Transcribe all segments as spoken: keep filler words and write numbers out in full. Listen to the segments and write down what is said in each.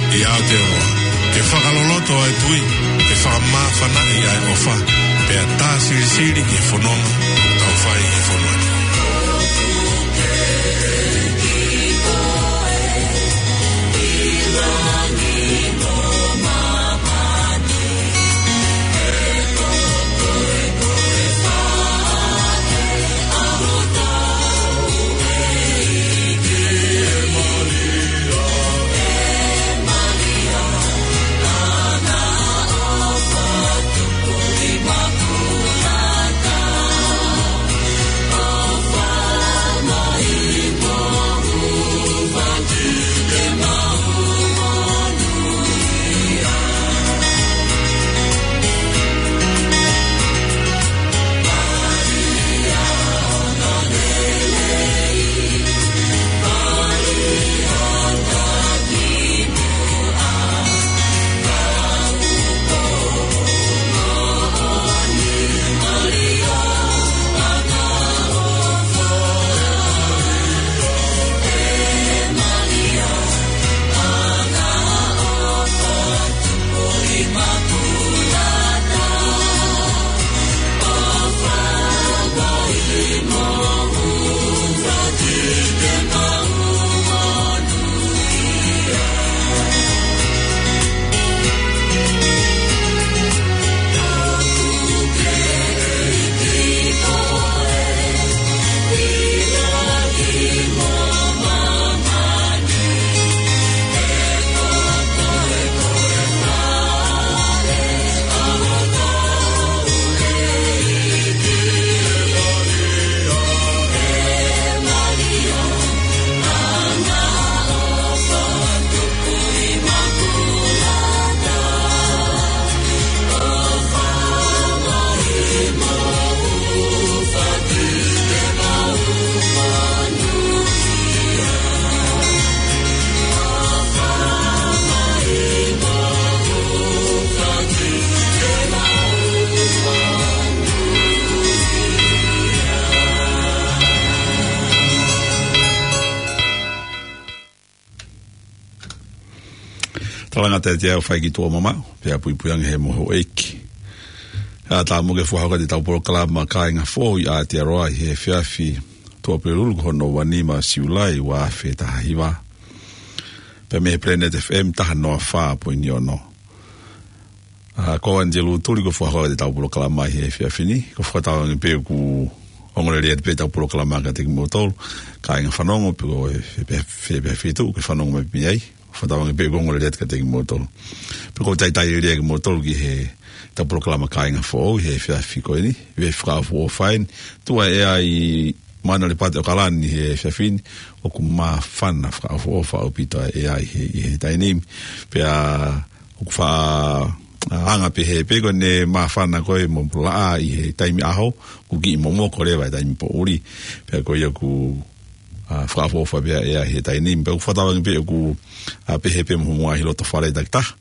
ʻI Aotearoa, ke fakaloloto ʻa e tui, ke fakamāfanaʻi ʻa e ʻofa, pea tā silisili ki he fononga ʻoku tau fai ʻi he fonua ni. Talangata ʻe te au fai ki tuʻa mama, pea puipui ange he moho ʻeiki. ʻA tā mo ke fakahoko ʻetau polokalama Kāinga Foʻou ʻi Aotearoa ʻi he efiafi Tuʻapulelulu ko hono ua nima Siulai ua afe taha hiva. Pea mei he Planet F M taha noa fā poini ono. ʻA, ko Angelou Tuli ko e fakahoko ʻetau polokalama ʻi he efiafi ni. Ko e fakatauange pē ʻoku ongo lelei atu pē ʻetau polokalama kiate kimoutolu kāinga fanongo, pe ko e fē pē, fē pē feituʻu ʻoku ke fanongo mai mei ai. Fakatauange pē ʻoku ongo lelei atu kiate kimoutolu. Pea ʻoku ou talitali lelei kimoutolu ki heʻetau polokalama Kāinga Foʻou ʻi he efiafi ko eni, ʻi he fakaʻofoʻofa eni. Tuʻu ʻa e ʻea ʻi Manurewa pea ʻo Kalani ʻi he efiafi ni, ʻoku māfana fakaʻofoʻofa ʻaupito ʻa e ʻea ʻi he, ʻi he taimi ni. Pea ʻoku faʻa anga pehē pē ko ʻene māfana ko ē mo e laʻā ʻi he taimi ʻaho, ʻoku kiʻi momoko leva ʻi he taimi poʻuli. Pea ko ia ʻoku, ʻa, fakaʻofoʻofa pē ʻa e ʻea ʻi he taimi ni. Pea ʻoku fakatauange pē ʻoku, ʻa, pehē pē mo hoʻomou ngaahi loto fale takitaha.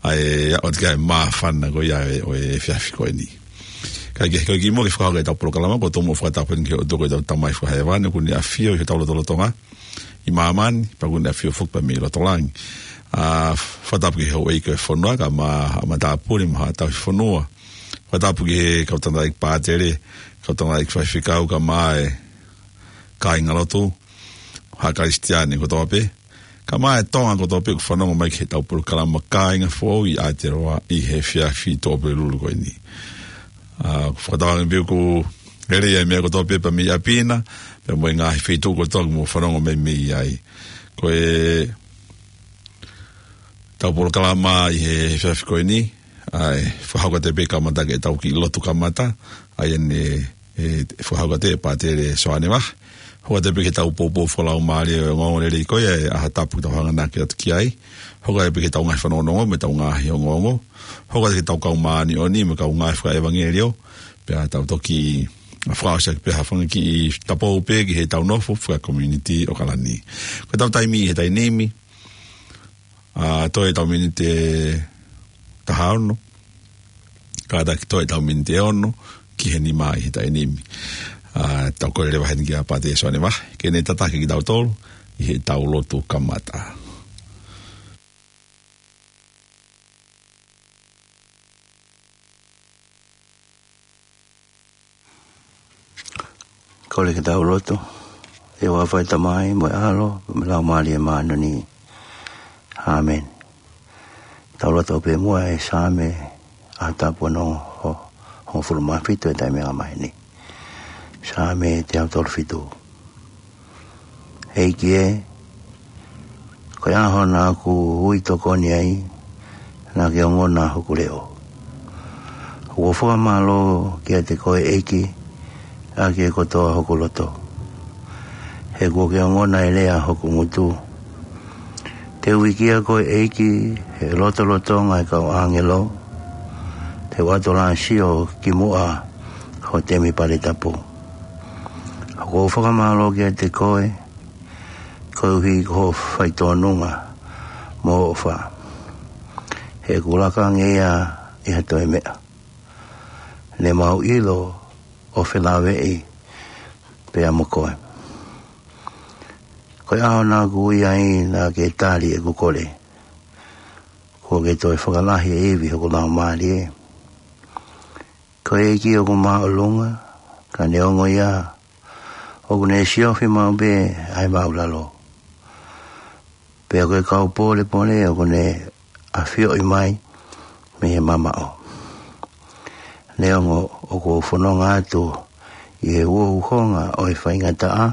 ʻA e, ʻa, ʻoku ʻikai ke māfana ko ia ʻo e, ʻo e efiafi ko eni. Kae kehe, ko e kimuʻa ke fakahoko ʻetau polokalama, ʻoku ou tomuʻa fakatapu ki he ʻOtua ko ʻetau Tamai Fakahēvani, ʻoku ne ʻafio ʻi hotau lotolotonga ʻi māmani, pea ʻoku ne ʻafio foki pea mei loto langi. ʻA, fakatapu ki he houʻeiki ʻo e fonua, kae ʻumaʻā haʻa matāpule mo haʻa tauhi fonua. Fakatapu ki he kau tangataʻeiki pātele, kau tangataʻeiki faifekau, kae ʻumaʻā e kāingalotu, haʻa Kalisitiane kotoa pē, kae ʻumaʻā e Tonga kotoa pē ʻoku fanongo mai ki heʻetau polokalama Kāinga Foʻou ʻi Aotearoa ʻi he efiafi Tuʻapulelulu ko eni. ʻA, ʻoku fakatauange pē ʻoku lelei ʻa e meʻa kotoa pē pea mei ʻapi na, pea mo e ngaahi feituʻu kotoa ʻoku mou fanongo mai mei ai. Ko ʻetau polokalama ʻi he efiafi ko eni, ʻa e fakahoko atu pē kamata ki heʻetau kiʻi lotu kamata, ʻa ia ʻe, ʻe fakahoko atu ʻe Pātele Soane Vahe. Hoko atu pē ki heʻetau poupou fakalaumālie ʻo e ongoongolelei ko ia ʻa e ʻaho tapu ʻoku tau hanganaki atu ki ai. Hoko atu pē ki heʻetau ngaahi fanongonongo mo ʻetau ngaahi ongoongo. Hoko atu ki heʻetau kau māʻoniʻoni mo e kau ngāue fakaʻevangeliō. Pea tau toki fakaʻosi ʻaki pē ha fanga kiʻi tapou pē ki heʻetau nofo fakakomiunitī ʻo Kalani. Ko ʻetau taimi ʻi he taimi ni, ʻa, toe ʻetau miniti ʻe taha ono. Kātaki toe ʻetau miniti ʻe ono ki he nima ʻi he taimi ni. ʻA, tau kole leva heni kia Pātele Soane Vahe ke ne tataki kitautolu ʻi heʻetau lotu kamata. Kole ke tau lotu. ʻE ʻofa ʻa e Tamai mo e ʻAlo mo e Laumālie Māʻoniʻoni. ʻĀmeni. Tau lotu pē muʻa he Saame ʻa e tapu ono ho, hongofulu mā fitu ʻi he taimi ʻa e māhina ni. Saame teau tolu fitu. ʻEiki ē, ko e ʻaho naʻa ku ui tokoni ai, naʻa ke ongona hoku leʻo. ʻOku ou fakamālō kiate koe ʻEiki, ʻaki e kotoa hoku loto. He kuo ke ongona e lea hoku ngutu. Te u vikia koe ʻEiki, he lotolotonga e kau ʻāngelo, te u ʻatolāsio ki muʻa ho temipale tapu. ʻOku ou fakamālō kiate koe, koeʻuhi ko hoʻo faitōnunga mo hoʻo ʻofa. He ʻoku laka ange ia ʻi ha toe meʻa. Ne mau ʻilo ʻo felāveʻi pea mo koe. Ko e ʻaho naʻa ku ui ai naʻa ke tali ʻeku kole. Kuo ke toe fakalahi e ivi hoku laumālie. Ko e ʻEiki ʻoku māʻolunga, ka neongo ia, ʻoku ne siofi maʻu pē ʻa e māʻulalo. Pea ko e kau pōlepole ʻoku ne ʻafioʻi mai mei he mamaʻo. Neongo ʻoku ou fononga atu ʻi he uhouhonga ʻo e faingataʻa,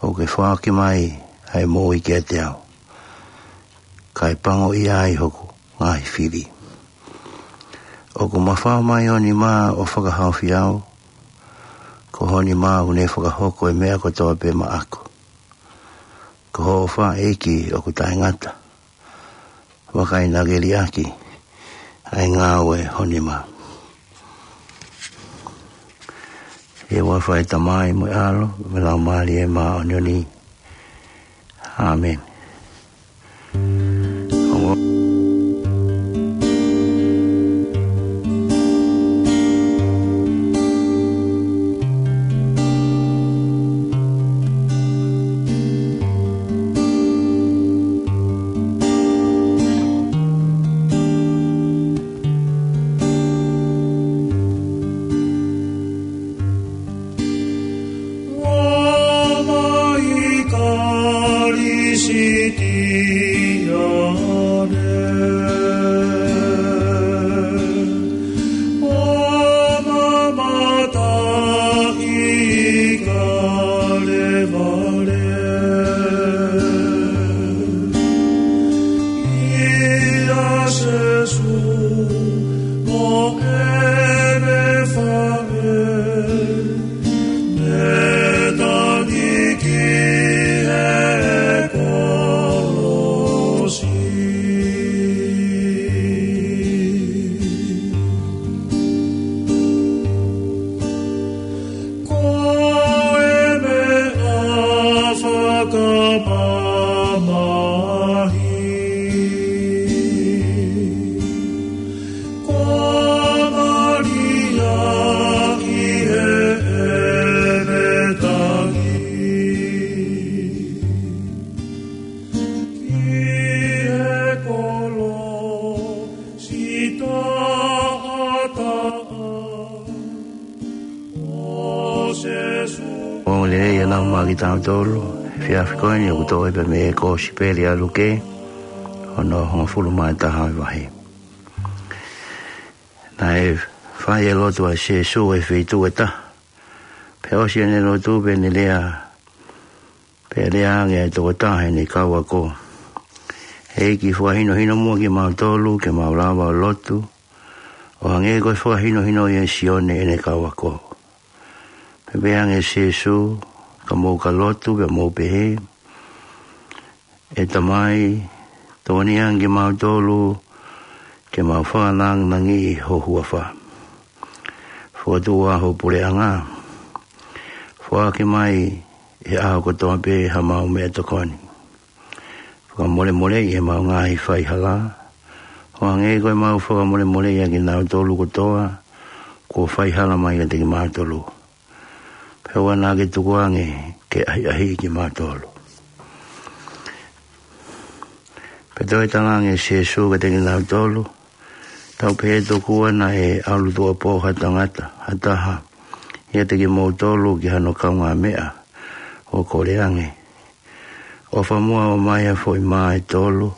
ʻoku ke foaki mai ʻa e moʻui kiate au. Kae pango ia ʻi hoku ngaahi fili. ʻOku mafao mai ho nima ʻo fakahaofi au. Ko ho nima ʻoku ne fakahoko e meʻa kotoa pē maʻaku. Ko hoʻo ʻofa ʻEiki ʻoku taʻengata. Vakai naʻa ke liʻaki ʻa e ngāue ho nima. ʻE ʻofa ʻa e Tamai mo e ʻAlo mo e Laumālie Māʻoniʻoni. ʻĀmeni. Roma i Kalisitiane. Roma mata i Kalevale. ʻIa Sēsū mo ʻene faʻē. Ne tangi ki he kolosi. Ko e meʻa fakamamahi. Ko Malia ʻi heʻene tangi. Ki he kolosi taʻataʻa ʻo Sēsū. Ongo lelei ʻa e lau maʻa kitautolu he efiafi ko eni ʻoku toʻo pē mei he Kosipeli ʻa Luke, hono hongofulu mā taha ʻo e vahe. Naʻe fai e lotu ʻa Sēsū ʻi he feituʻu ʻe taha. Pea ʻosi ʻene lotu pea ne lea, pea lea ange ʻa e tokotaha ʻi heʻene kau ako, ʻEiki, fakahinohino muʻa kimautolu ke mau lava ʻo lotu, ʻo hangē ko e fakahinohino ʻa Sione ʻene kau ako. Pea pehē ange ʻe Sēsū, Ka mou ka lotu, pea mou pehē, ʻE Tamai, tokoniʻi ange kimautolu ke mau fakalāngilangiʻi ho huafa. Fokotuʻu ā ho puleʻanga. Foaki mai he ʻaho kotoa pē haʻamau meʻatokoni. Fakamolemoleʻi ʻemau ngaahi faihala, ʻo hangē ko ʻemau fakamolemoleʻi ʻa kinautolu kotoa kuo faihala mai kiate kimautolu. Pea ʻoua naʻa ke tuku ange ke ʻahiʻahiʻi kimautolu. Pea toe talaange ʻe Sēsū kiate kinautolu, Tau pehē tokua naʻe ʻalu tuʻuapō ha tangata, ha taha, ʻiate kimoutolu ki hano kaungāmeʻa ʻo kole ange. ʻOfa muʻa ʻomai ha foʻi mā ʻe tolu,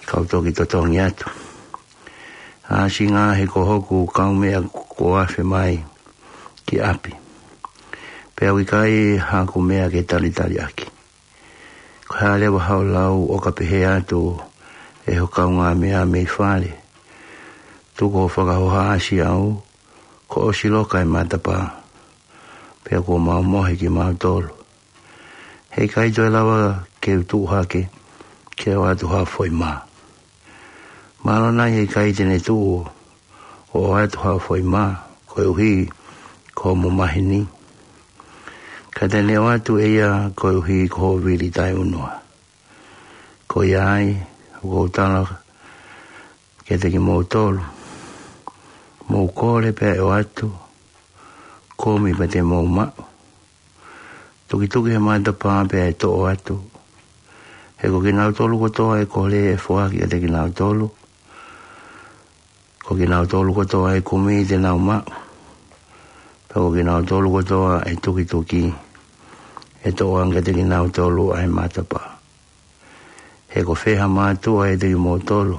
kau toki totongi atu. ʻAsi ngaahi ko hoku kaumeʻa kuo afe mai ki ʻapi, pea ʻoku ʻikai haku meʻa ke talitali ʻaki. Ko e hā leva haʻo lau ʻo ka pehē atu ʻe ho kaungāmeʻa mei fale, tuku hoʻo fakahoha ʻasi au, kuo ʻosi loka e matapā, pea kuo mau mohe kimautolu. Heʻikai toe lava ke u tuʻu hake ke ʻoatu ha foʻi mā. Mālō nai heʻikai te ne tuʻu ʻo ʻoatu ha foʻi mā koeʻuhi ko hoʻomo maheni, ka te ne ʻoatu ʻe ia koeʻuhi ko hoʻo vili taʻeʻunua. Ko ia ai, ʻoku ou tala kiate kimoutolu, mou kole pea ʻe ʻoatu, kumi pea te mou maʻu, tukituki he matapā pea ʻe toʻo atu. He ko kinautolu kotoa ʻe kole ʻe foaki kiate kinautolu. Ko kinautolu kotoa ʻe kumi te nau maʻu. Pea ko kinautolu kotoa ʻe tukituki ʻe toʻo ange kiate kinautolu ʻa e matapā. He ko fē ha mātuʻa ʻiate kimoutolu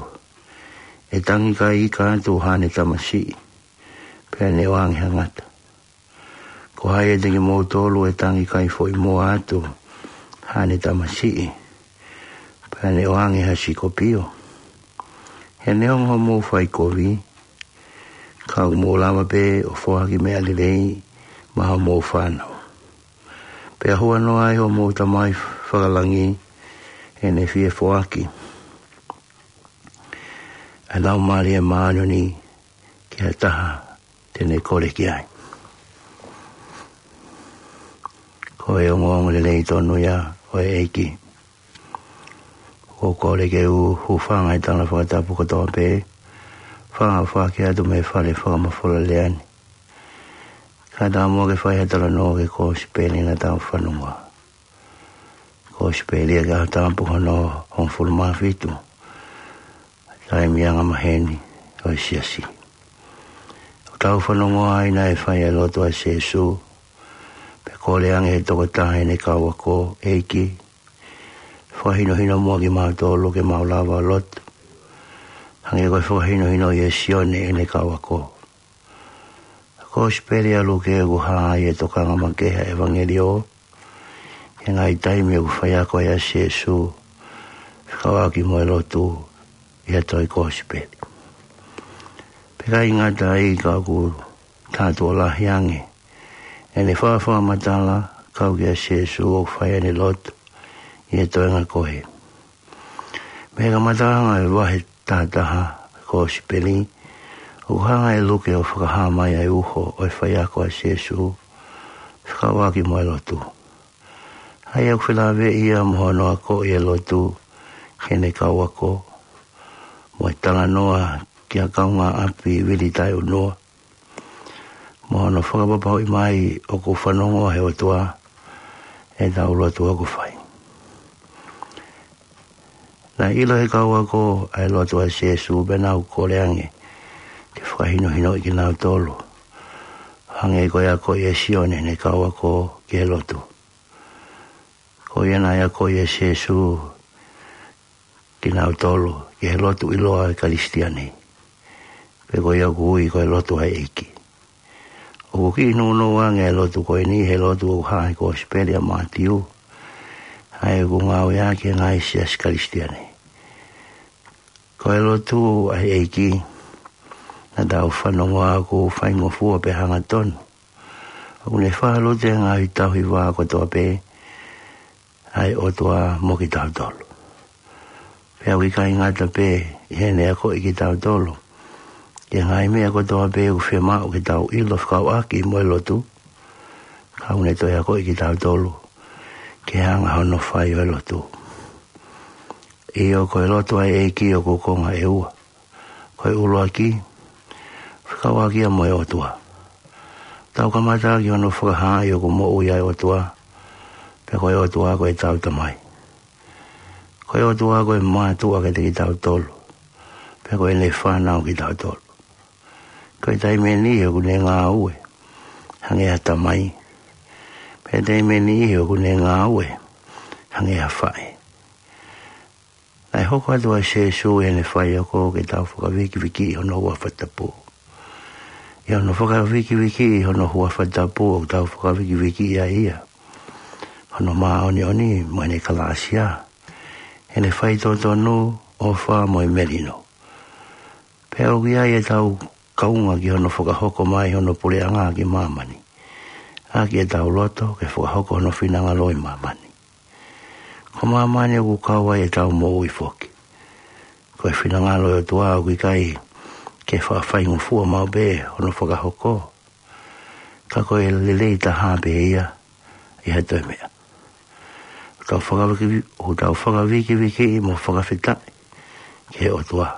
ʻe tangi kai ika atu haʻane tamasiʻi, pea ne ʻoange ha ngata? Ko hai ʻiate kimoutolu ʻe tangi kai foʻi moa atu haʻane tamasiʻi, pea ne ʻoange ha sikopio? He neongo hoʻomou fai kovi, ka ʻoku mou lava pē ʻo foaki meʻa lelei maʻa homou fānau, pea huanoa ai hoʻomou Tamai Fakalangi ʻene fie foaki ʻa e Laumālie Māʻoniʻoni ki ha taha te ne kole ki ai. Ko e ongoongo lelei tonu ia ʻo e ʻEiki. ʻOku ou kole ke u hūfanga he tala fakatapu kotoa pē, fakafoki atu mei he fale fakamafola lea ni. Kae ʻatā muʻa ke fai ha talanoa ki he kosipeli naʻa tau fanongoa. Kosipeli ʻa e Tohi Tapu hono hongofulu mā fitu, taimi angamaheni ʻo e siasi. ʻOku tau fanongoa ai naʻe fai ʻa e lotu ʻa Sīsū, pea kole ange he tokotaha ʻene kau ako, ʻEiki, fakahinohino muʻa kimautolu ke mau lava ʻo lotu, hangē ko e fakahinohino ʻia Sione ʻene kau ako. Kosipeli ʻa Luke ʻoku hā ai e tokanga makehe ʻa e ʻevangeliō ki he ngaahi taimi ʻoku faiako ai ʻa Sīsū fekauʻaki mo e lotu ʻi ha toe kosipeli. Pea ʻikai ngata ai ka ʻoku tātuʻo lahi ange ʻene fakafakamatala kau kia Sīsū ʻoku fai ʻene lotu ʻi he toenga ko ē. Mei he kamataʻanga ʻo e vahe tahataha kosipeli, ʻoku hanga ʻe Luke ʻo fakahā mai ʻa e uho ʻo e faiako ʻa Sīsū fekauʻaki mo e lotu. ʻA ia ʻoku felāveʻi ia mo hono akoʻi e lotu ki heʻene kau ako, mo e talanoa ki ha kaungāʻapi vili taʻeʻunua, mo hono fakapapauʻi mai ʻoku fanongoa ʻe he ʻOtua ʻetau lotu ʻoku fai. Naʻe ʻilo ʻe he kau ako ʻa e lotu ʻa Sīsū pea nau kole ange ke fakahinohinoʻi kinautolu, hangē ko e akoʻi ʻe Sione ʻene kau ako ki he lotu. Ko ia naʻe akoʻi ʻe Sīsū kinautolu ki he lotu ʻiloa ʻa e Kalisitiane, pe ko ia ʻoku ui ko e lotu ʻa e ʻEiki. ʻOku kiʻi nounou ange e lotu ko eni he lotu ʻoku hā he kosipeli ʻa Mātiu, ʻa ia ʻoku ngāueʻaki ʻe he ngaahi siasi Kalisitiane. Ko e lotu ʻa e ʻEiki naʻa tau fanongoa ʻoku faingofua pea hangatonu. ʻOku ne fakalotu ʻi he ngaahi tauhi vā kotoa pē ʻa e ʻOtua mo kitautolu. Pea ʻoku ʻikai ngata pē ʻi heʻene akoʻi kitautolu ki he ngaahi meʻa kotoa pē ʻoku fiemaʻu ke tau ʻilo fekauʻaki mo e lotu, ka ʻoku ne toe akoʻi kitautolu ki he anga hono fai ʻo e lotu. ʻIo, ko e lotu ʻa e ʻEiki ʻoku konga ʻe ua. Ko e ʻuluaki, fekauʻaki ia mo e ʻOtua. Tau kamata ʻaki hono fakahaaʻi ʻoku moʻui ʻa e ʻOtua, pea ko e ʻOtua ko ʻetau Tamai. Ko e ʻOtua ko e mātuʻa kiate kitautolu, pea ko ʻene fānau kitautolu. Ko e taimi ʻeni ʻoku ne ngāue hangē ha tamai, pea taimi ʻe niʻihi ʻoku ne ngāue hangē ha faʻē. Naʻe hoko atu ʻa Sīsū ʻi heʻene faiako ke tau fakavikivikiʻi hono huafa tapu. ʻI hono fakavikivikiʻi hono huafa tapu ʻoku tau fakavikivikiʻi ai ia, hono māʻoniʻoni mo ʻene kalāsia, ʻene faitotonu, ʻofa mo e melino. Pea ʻoku ʻi ai ʻetau kaunga ki hono fakahoko mai hono puleʻanga ki māmani, ʻaki ʻetau loto ke fakahoko hono finangalo ʻi māmani. Ko māmani ʻoku kau ai ʻetau moʻui foki. Ko e finangalo ʻo e ʻOtua ʻoku ʻikai ke faʻa faingofua maʻu pē hono fakahoko, ka ko e lelei taha pē ia ʻi ha toe meʻa. ʻOku tau fakaviki-, ʻoku tau fakavikivikiʻi mo fakafetaʻi ki he ʻOtua,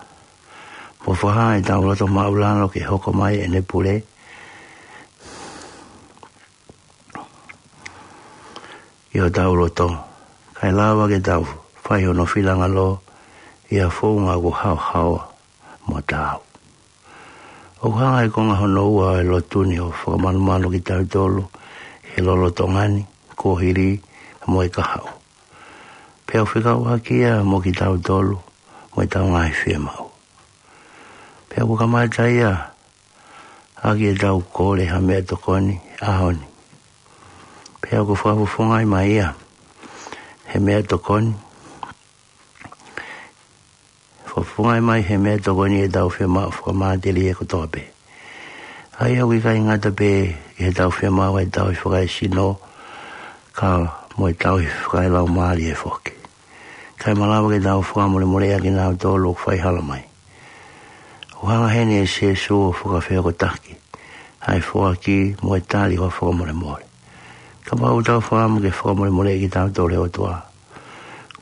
mo fakahā ʻetau loto māʻulalo ke hoko mai ʻene pule ʻi hotau loto, kae lava ke tau fai hono finangalo ʻi ha founga ʻoku haohaoa mo taau. ʻOku hanga ʻe he konga hono ua ʻo e lotu ni ʻo fakamalumalu kitautolu ʻi he lolotonga ni, kuohili mo e kahaʻu. Pea ʻoku fekauʻaki ia mo kitautolu mo ʻetau ngaahi fiemaʻu. Pea ʻoku kamata ia ʻaki ʻetau kole ha meʻa tokoni he ʻaho ni. Pea ʻoku fakafofongaʻi mai ia he meʻa tokoni. Fakafofongaʻi mai he meʻa tokoni ʻetau fiemaʻu fakamatelie kotoa pē. ʻA ia ʻoku ʻikai ngata pē ʻi heʻetau fiemaʻu ʻa e tauhi fakaesino, ka mo e tauhi fakalaumālie foki. Kae malava ke tau fakamolemoleʻi ʻa kinautolu ʻoku faihala mai. ʻOku hanga heni ʻe Sīsū ʻo fakafehokotaki ʻa e foaki mo e tali ʻo e fakamolemole. Kapau ʻoku tau fakaʻamu ke fakamolemoleʻi kitautolu ʻe he ʻOtua,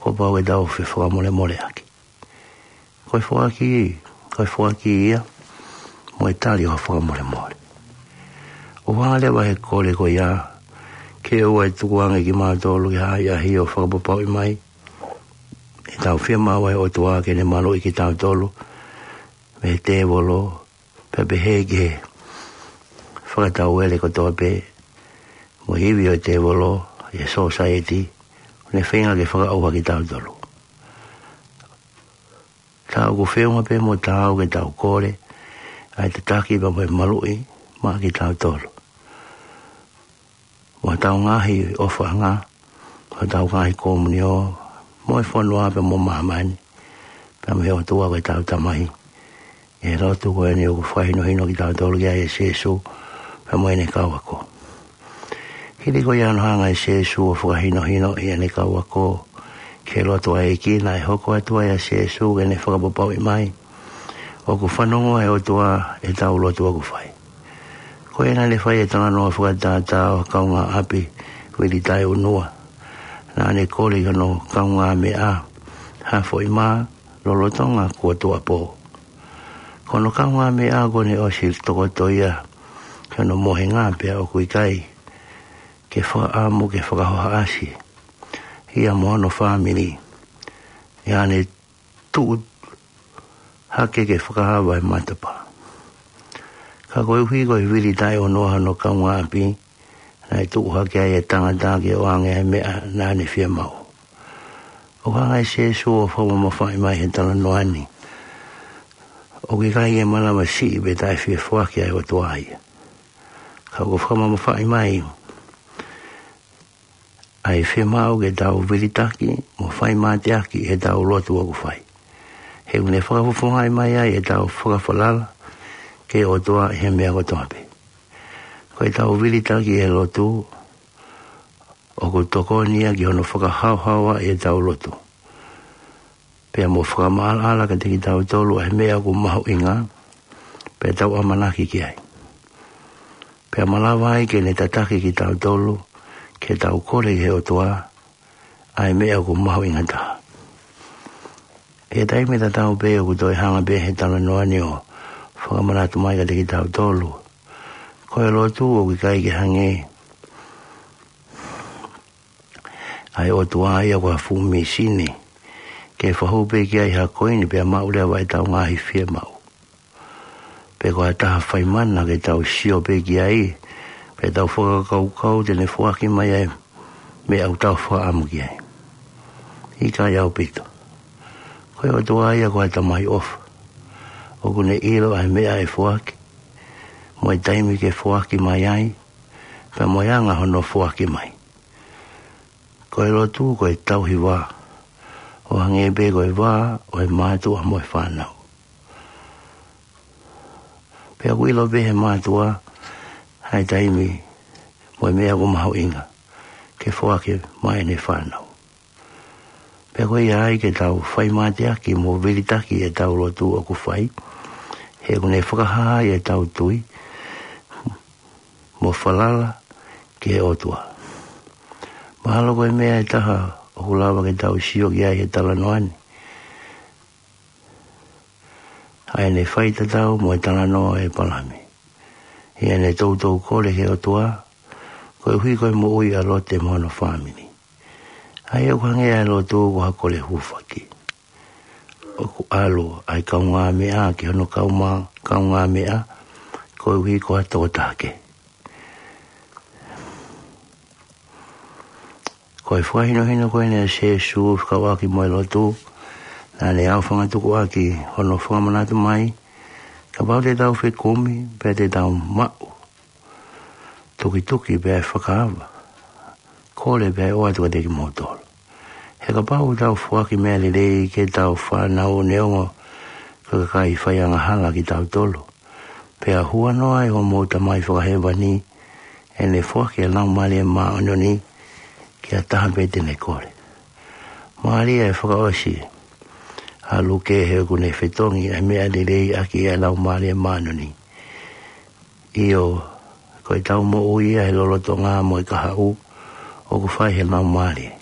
kuo pau ke tau fefakamolemoleʻaki. Ko e foaki, ko e foaki ia mo e tali ʻo e fakamolemole. ʻOku hanga leva ʻe he kole ko ia ke ʻoua ʻe tukuange kimautolu ki ha ʻahiʻahi ʻo fakapapauʻi mai ʻetau fiemaʻu ʻa e ʻOtua ke ne maluʻi kitautolu mei he tēvolo, pea pehē ki he fakatauele kotoa pē mo e ivi ʻo e tēvolo ʻi he sōsaieti, ʻoku ne feinga ke fakaʻauha kitautolu. Ka ʻoku feʻunga pē mo taau ke tau kole ʻa e tataki pea mo e maluʻi maʻa kitautolu, mo hotau ngaahi ʻofaʻanga, hotau ngaahi komiunio, mo e fonua pea mo māmani, pea mo e ʻOtua ko ʻetau Tamai, ʻi he lotu ko eni ʻoku fakahinohino kitautolu ki ai ʻe Sīsū pea mo ʻene kau ako. Hili ko ia hono hanga ʻe Sīsū ʻo fakahinohinoʻi ʻene kau ako ki he lotu ʻa e ʻEiki, naʻe hoko atu ai ʻa Sīsū ke ne fakapapauʻi mai ʻoku fanongo ʻa e ʻOtua ʻetau lotu ʻoku fai. Ko ia naʻa ne fai e talanoa fakatātā ʻo e kaungāʻapi vili taʻeʻunua. Naʻa ne kole ki hono kaungāmeʻa ha foʻi mā lolotonga kuo tuʻuapō. Ko hono kaungāmeʻa kuo ne ʻosi tokoto ia ki hono mohenga, pea ʻoku ʻikai ke fakaʻamu ke fakahohaʻasi ia mo hono fāmili, ʻi haʻane tuʻu hake ke fakaava e matapā. Ka koeʻuhi ko e vili taʻeʻunua hono kaungāʻapi, naʻe tuʻu hake ai e tangata ke ʻoange ʻa e meʻa naʻa ne fiemaʻu. ʻOku hanga ʻe Sīsū ʻo fakamamafaʻi mai he talanoa ni ʻoku ʻikai ke malava siʻi pe taʻefiefoaki ʻa e ʻOtua ia. Ka ʻoku fakamamafaʻi mai ʻa e fiemaʻu ke tau vilitaki mo fai mateaki ʻi heʻetau lotu ʻoku fai. He ʻoku ne fakafofongaʻi mai ai ʻetau fakafalala ki he ʻOtua ʻi he meʻa kotoa pē. Ko ʻetau vilitaki ʻi he lotu, ʻoku tokoni ia ki hono fakahaohaoaʻi ʻetau lotu, pea mo fakamaʻalaʻala kiate kitautolu ʻa e meʻa ʻoku mahuʻinga pea tau ʻamanaki ki ai. Pea malava ai ke ne tataki kitautolu ke tau kole ki he ʻOtua ʻa e meʻa ʻoku mahuʻinga taha. ʻI he taimi tatau pē ʻoku toe hanga pē he talanoa ni ʻo fakamanatu mai kiate kitautolu, ko e lotu ʻoku ʻikai ke hangē ʻa e ʻOtua ia ko ha fuʻu mīsini ke fahu pē ki ai ha koini pea maʻu leva ʻetau ngaahi fiemaʻu. Pe ko ha taha fai mana ke tau sio pē ki ai, Pea tau fakakaukau te ne foaki mai ʻa e meʻa ʻoku tau fakaʻamu ki ai. ʻIkai ʻaupito. Ko e ʻOtua ia ko e Tamai ʻofa. ʻOku ne ʻilo ʻa e meʻa ʻe foaki, mo e taimi ke foaki mai ai, pea mo e anga hono foaki mai. Ko e lotu ko e tauhi vā, ʻo hangē pē ko e vā ʻo e mātuʻa mo e fānau. Pea ʻoku ʻilo pē ʻe he mātuʻa ʻa e taimi mo e meʻa ʻoku mahuʻinga ke foaki maʻa ʻene fānau. Pea ko ia ai ke tau fai mateaki mo vilitaki ʻetau lotu ʻoku fai, he ʻoku ne fakahā ai ʻetau tui mo falala ki he ʻOtua. Mahalo ko e meʻa ʻe taha ʻoku lava ke tau sio ki ai he talanoa ni, ʻa ʻene faitatau mo e talanoa ʻo ʻĒpalahame, ʻi heʻene toutou kole ki he ʻOtua, koeʻuhi ko e moʻui ʻa Lote mo hono fāmili. ʻA ia ʻoku hangē ʻa e lotu ko ha kole hūfaki. ʻOku ʻalu ʻa e kaungāmeʻa ki hono kauma-, kaungāmeʻa, koeʻuhi ko ha tokotaha kehe. Ko e fakahinohino ko eni ʻa Sēsū fekauʻaki mo e lotu, naʻa ne ʻaofangatukuʻaki hono fakamanatu mai, kapau te tau fekumi, pea te tau maʻu, tukituki pea ʻe fakaava, kole pea ʻe ʻoatu kiate kimoutolu. He kapau ʻoku tau foaki meʻa lelei ki heʻetau fānau neongo ko e kakai faiangahala kitautolu, pea huanoa ʻa hoʻomou Tamai Fakahēvani, ʻe ne foaki ʻa e Laumālie Māʻoniʻoni ki ha taha pē te ne kole. Mālie ʻa e fakaʻosi ʻa Luke, he ʻoku ne fetongi ʻa e meʻa lelei ʻaki ʻa e Laumālie Māʻoniʻoni. ʻIo, ko ʻetau moʻui ia he lolotonga mo e kahaʻu ʻoku fai ʻe he Laumālie,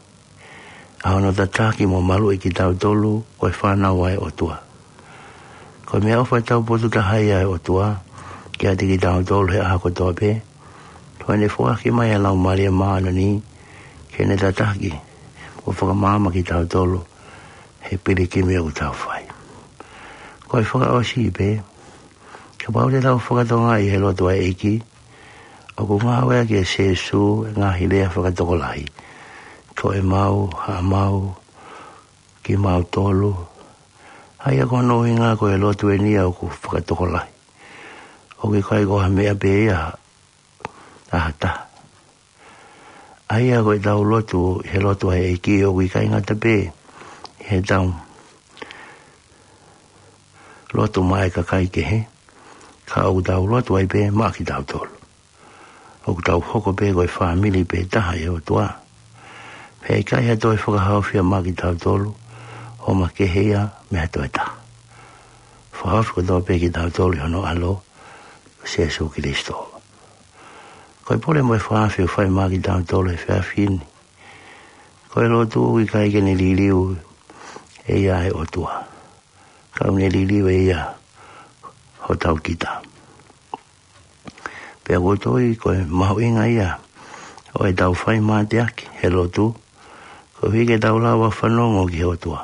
ʻa hono tataki mo maluʻi kitautolu ko e fānau ʻa e ʻOtua. Ko e meʻaʻofa taupotu taha ia ʻa e ʻOtua kiate kitautolu he ʻaho kotoa pē, ko ʻene foaki mai ʻa e Laumālie Māʻoniʻoni ke ne tataki mo fakamaama kitautolu he pilikimi ʻoku tau fai. Ko e fakaʻosi pē, kapau te tau fakatokangaʻi he lotu ʻa e ʻEiki, ʻoku ngāueʻaki ʻe Sēsū e ngaahi lea fakatokolahi, ko ʻemau, haʻamau, kimautolu. ʻA ia ko hono ʻuhinga ko e lotu eni ia ʻoku fakatokolahi. ʻOku ʻikai ko ha meʻa pē ia ʻa ha taha. ʻA ia ko ʻetau lotu he lotu ʻa e ʻEiki ʻoku ʻikai ngata pē heʻetau lotu maʻa e kakai kehe, ka ʻoku tau lotu ai pē maʻa kitautolu. ʻOku tau hoko pē ko e fāmili pē taha ʻa e ʻOtua. Pea ʻikai ha toe fakahaofi ia maʻa kitautolu, ʻo makehe ia mei ha toe taha. Fakahaofi kotoa pē kitautolu ʻi hono ʻAlo, ko Sēsū Kilisitō. Ko e pole mo e fakahaofi ʻoku fai maʻa kitautolu he efiafi ni, ko e lotu ʻoku ʻikai ke ne liliu ʻe ia ʻa e ʻOtua, ka ʻoku ne liliu ʻe ia hotau kita. Pea ʻoku ou tui ko e mahuʻinga ia ʻo ʻetau fai mateaki he lotu, koeʻuhi ke tau lava fanongo ki he ʻOtua.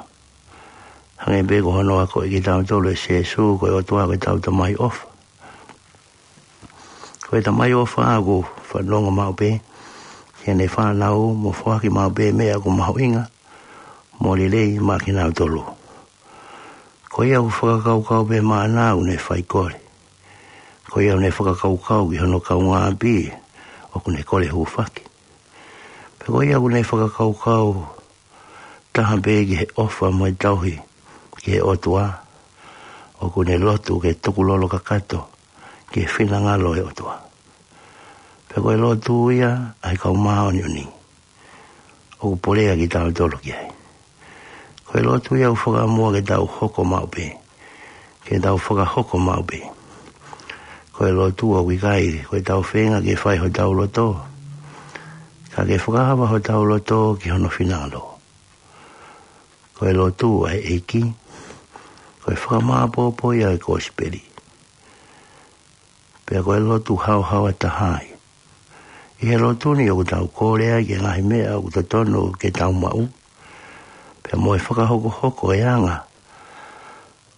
Hangē pē ko hono akoʻi kitautolu ʻe Sēsū, ko e ʻOtua ko ʻetau Tamai ʻofa. Ko e Tamai ʻofa ʻoku fanongo maʻu pē ki heʻene fānau mo foaki maʻu pē meʻa ʻoku mahuʻinga mo lelei maʻa kinautolu. Ko ia ʻoku fakakaukau pē maʻana ʻoku ne fai kole. Ko ia ʻoku ne fakakaukau ki hono kaungāʻapi ʻoku ne kole hūfaki. Pea ko ia ʻoku ne fakakaukau taha pē ki he ʻofa mo e tauhi ki he ʻOtua, ʻoku ne lotu ke tukulolo kakato ki he finangalo ʻo e ʻOtua. Pea ko e lotu ia ʻa e kau māʻoniʻoni ʻoku pole ʻa kitautolu ki ai. Ko e lotu ia ʻoku fakaʻamua ke tau hoko maʻu pē, ke tau fakahoko maʻu pē. Ko e lotu ʻoku ʻikai ko ʻetau feinga ke fai hotau loto, ka ke fakaava hotau loto ki hono finangalo. Ko e lotu ʻa e ʻEiki, ko e fakamāʻopoʻopo ia ʻo e kosipeli. Pea ko e lotu haohaoa taha ia. ʻI he lotu ni ʻoku tau kole ai ki he ngaahi meʻa ʻoku totonu ke tau maʻu, pea mo e fakahokohoko e anga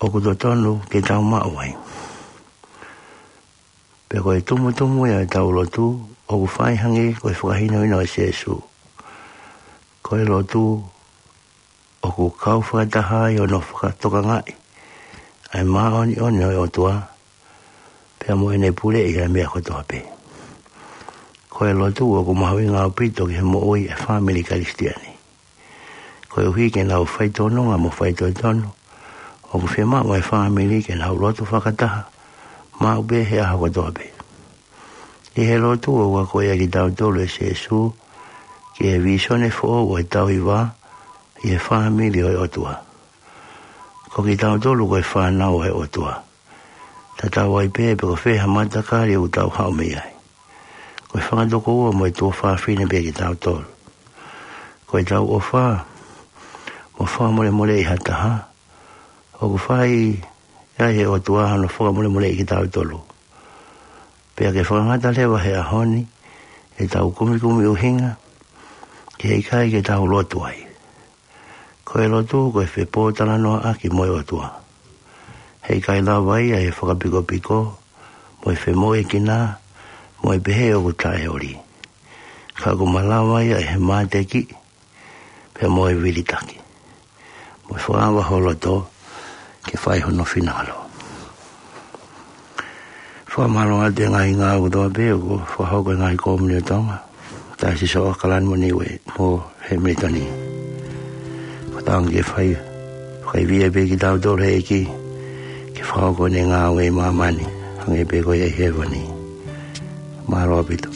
ʻoku totonu ke tau maʻu ai. Pea ko e tumutumu ia ʻo ʻetau lotu, ʻoku fai hangē ko e fakahinohino ʻa Sīsū. Ko e lotu, ʻoku kau fakataha ai hono fakatokangaʻi ʻa e māʻoniʻoni ʻo e ʻOtua, pea mo ʻene puleʻi ʻa e meʻa kotoa pē. Ko e lotu ʻoku mahuʻinga ʻaupito ki he moʻui ʻa e fāmili Kalisitiane. Koeʻuhi ke nau fai tōnunga mo fai tōtonu, ʻoku fiemaʻu ʻa e fāmili ke nau lotu fakataha, maʻu pē he ʻaho kotoa pē. ʻI he lotu ʻoku akoʻi ai kitautolu ʻe Sīsū ki he vīsone foʻou ʻo e tauhi vā ʻi he fāmili ʻo e ʻOtua. Ko kitautolu ko e fānau ʻo e ʻOtua. Tatau ai pē pe ko fē ha matakali ʻoku tau haʻu mei ai. Ko e fanga tokoua mo e tuofāfine pē kitautolu. Ko ʻetau ʻofa mo fakamolemoleʻi ha taha, ʻoku fai ai ʻe he ʻOtua hono fakamolemoleʻi kitautolu. Pea ke fakangata leva he ʻaho ni ʻetau kumikumi ʻuhinga, ke ʻikai ke tau lotu ai. Ko e lotu ko e fepōtalanoaʻaki mo e ʻOtua. Heʻikai lava ia ʻe he fakapikopiko, mo e femoʻuekina, mo e pehē ʻoku taʻeoli. Ka ʻoku malava ia ʻe he mateaki, pea mo e vilitaki. Mo e fakaava ho loto, ke fai hono finangalo. Fakamālō atu he ngaahi ngāue kotoa pē ʻoku fakahoko ʻe he ngaahi kōmuni ʻo Tonga, taʻe siʻi ʻAokalani mo Niuē mo Hemilitoni. Fakatauange ke fai, fakaivia pē kitautolu ʻe he ʻEiki, ke fakahoko ʻene ngāue ʻi māmani, hangē pē ko ia ʻi hēvani. Mālō ʻaupito.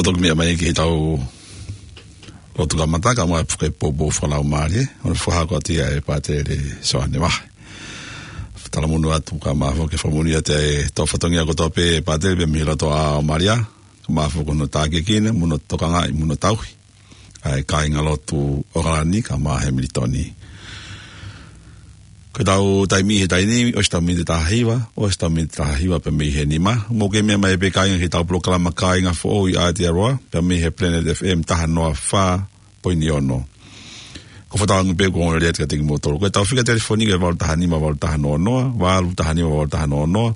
ʻO toki meʻa mai ki heʻetau lotu kamata, kae ʻumaʻā e poupou fakalaumālie, ʻo fakahoko atu ia ʻe Pātele Soane Vahe. Talamonū atu kae ʻumaʻā foki e fakamoʻoni atu ʻa e tau fatongia kotoa pē Pātele pea mei loto ʻa Malia, kae ʻumaʻā foki hono tākiekina, mo hono tokangaʻi, mo hono tauhi ʻa e kāingalotu ʻAokalani kae ʻumaʻā Hemilitoni. Ko ʻetau taimi he taimi ni, ʻosi ʻetau miniti taha hiva, ʻosi ʻetau miniti taha hiva pea mei he nima. Mou kei meʻa mai pē kāinga ki heʻetau polokalama Kāinga Foʻou ʻi Aotearoa, pea mei he Planet F M taha noa fā poini ono. Ko e fakatauange pē kuo ongoongolelei atu kiate kimoutolu. Ko ʻetau fika telefoni ko e valu taha nima valu taha noa noa, valu taha nima valu taha noa noa.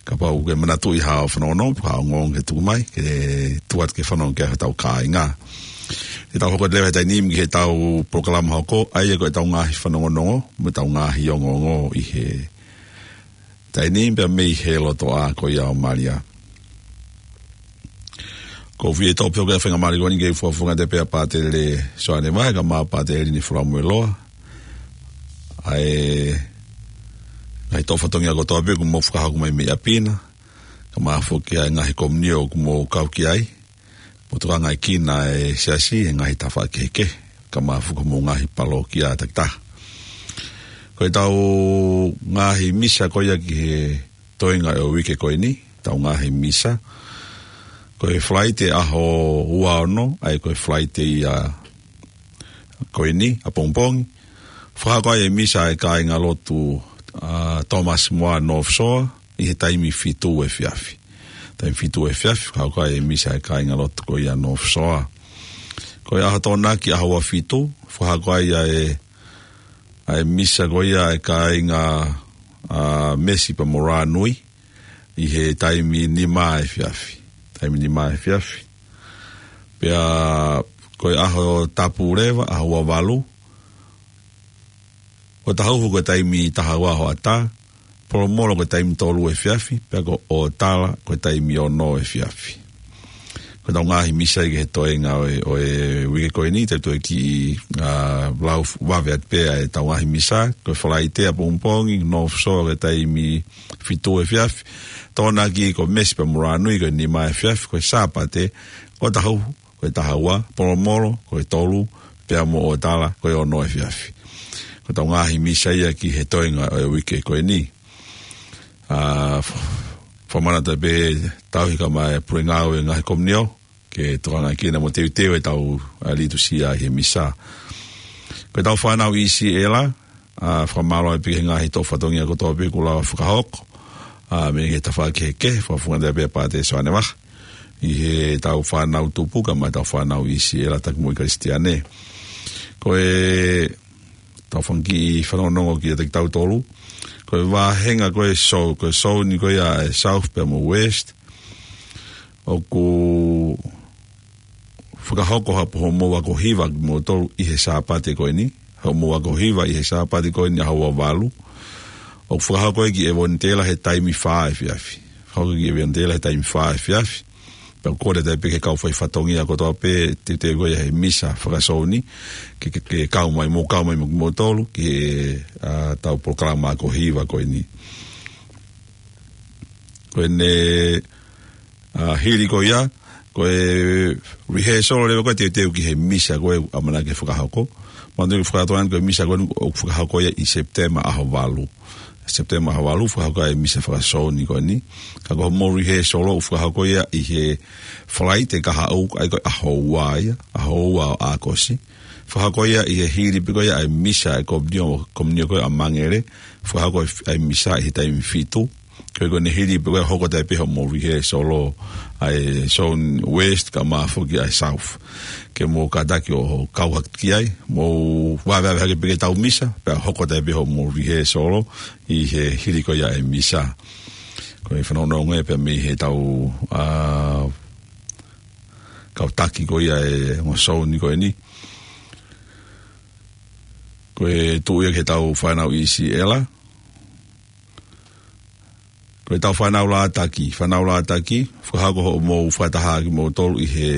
Kapau ʻoku ke manatuʻi ha fanongonongo, ha ongoongo ke tuku mai, ke tuku atu ke fanongo ki ai hotau kāinga. Te tau hoko atu leva he taimi ni ki heʻetau polokalama hoko, ʻa ia ko ʻetau ngaahi fanongonongo, mo ʻetau ngaahi ongoongo ʻi he taimi ni pea mei he lotoʻā ko ia ʻo Malia. ʻOku ou fie toʻo pē ʻa e faingamālie ko eni ke u fakafofonga atu pē ʻa Pātele Soane Vahe, kae ʻumaʻā Pātele Lini Fulamueloa. ʻA e ngaahi toʻo fatongia kotoa pē kuo mou fakahoko mai mei ʻapi na. Kae ʻumaʻā foki ʻa e ngaahi komiunitī ʻoku mou kau ki ai. Mo e tokangaʻi kinaua ʻa e siasi he ngaahi tafaʻaki kehekehe. Kae ʻumaʻā foki mo e ngaahi palōkia takitaha. Ko ʻetau ngaahi misa ko ia ki he toenga ʻo e uike ko eni, ʻetau ngaahi misa. Ko e Falaite ʻaho ua ono, ʻa ia ko e Falaite ia ko eni, ʻapongipongi. Fakahoko ai e misa ʻa e kāingalotu, ʻa, Thomas More North Shore, ʻi he taimi fitu efiafi. Taimi fitu efiafi, fakahoko ai e misa ʻa e kāingalotu ko ia North Shore. Ko e ʻaho Tokonaki ʻaho ua fitu, fakahoko ai ʻa e, ʻa e misa ko ia ʻa e kāinga, ʻa, Mesi pea mo Rānui, ʻi he taimi nima efiafi. Taimi nima efiafi. Pea ko e ʻaho Tapu leva, ʻaho ua valu, ʻOtahuhu ko e taimi taha ua hoʻatā, Polomolo ko e taimi tolu efiafi, pea ko ʻOtala ko e taimi ono efiafi. Ko ʻetau ngaahi misa ia ki he toenga ʻo e, ʻo e uike ko eni, te u toe kiʻi, ʻa, lau vave atu pē ʻa ʻetau ngaahi misa, ko e Falaite ʻapongipongi, North Shore ko e taimi fitu efiafi, Tokonaki ko Mesi pea mo Rānui ko e nima efiafi, ko e Sāpate, ʻOtahuhu, ko e taha ua, Polomolo, ko e tolu, pea mo ʻOtala, ko e ono efiafi. Ko ʻetau ngaahi misa ia ki he toenga ʻo e uike ko eni. ʻA, f-, fakamanatu pē tauhi kae ʻumaʻā e pule ngāue ngaahi komiunitī, ke tokangaʻi kinaua mo teuteu ʻetau, ʻa, litusia ʻi he misa. Ko ʻetau fānau ʻIsiela, ʻa, fakamālō pē ki he ngaahi toʻo fatongia kotoa pē kuo lava fakahoko. ʻA, mei he tafaʻaki kehekehe, fakafofonga atu pē ʻa Pātele Soane Vahe. ʻI heʻetau fānau tupu, kae ʻumaʻā ʻetau fānau ʻIsiela taki mo e Kalisitiane. Ko ʻetau fanga kiʻi fanongonongo kiate kitautolu. Ko e vāhenga ko e sou, ko e sou ni ko ia ʻa e South pea mo West. ʻOku fakahoko ha po hoʻomou ako hiva kimoutolu ʻi he Sāpate ko eni. Hoʻomou ako hiva ʻi he Sāpate ko eni ʻaho ua valu. ʻOku fakahoko ia ki ʻEvonitela he taimi fā efiafi. Fakahoko ia ki ʻEvonitela he taimi fā efiafi. Pea ʻoku kole atu pē ki he kau fai fatongia kotoa pē, teuteu ko ia he misa fakasou ni, ke, ke, ke kau mai, mou kau mai mo kimoutolu, ki he, ʻa, ʻetau polokalama ako hiva ko eni. Ko ʻene, ʻa, hili ko ia, ko e rehearsal leva ko e teuteu ki he misa ko e ʻamanaki ke fakahoko. Manatuʻi ke fakatoa ʻeni ko e misa ko eni ʻoku fakahoko ia ʻi Sepitema ʻaho valu. Sepitema ʻaho valu, fakahoko ai e misa fakasou ni ko eni. Ka ko hoʻomou rehearsal ʻoku fakahoko ia ʻi he Falaite kahaʻu, ʻa ia ko e ʻaho ua ia, ʻaho ua ʻo ʻAokosi. Fakahoko ia ʻi he hili pē ko ia ʻa e misa ʻa e komiunitī, komiunitī ko ia ʻa Mangele. Fakahoko ʻa e misa ʻi he taimi fitu. Ko e ko ʻene hili pē ko ia hoko atu pē hoʻomou rehearsal ʻa e Zone West kae ʻumaʻā foki ʻa e South. Ke mou kātaki ʻo kau hake ki ai, mou vāvāvā hake pē ki heʻetau misa, pea hoko atu pē hoʻomou rehearsal ʻi he hili ko ia e misa. Ko e fanongonongo ia pea mei heʻetau, ʻa, kau taki ko ia e ongo sou ni ko eni. Ko e tuʻu ia ki heʻetau fānau ʻIsiela. Ko ʻetau fānau Lātaki, fānau Lātaki, fakahoko hoʻomou fakataha kimoutolu ʻi he,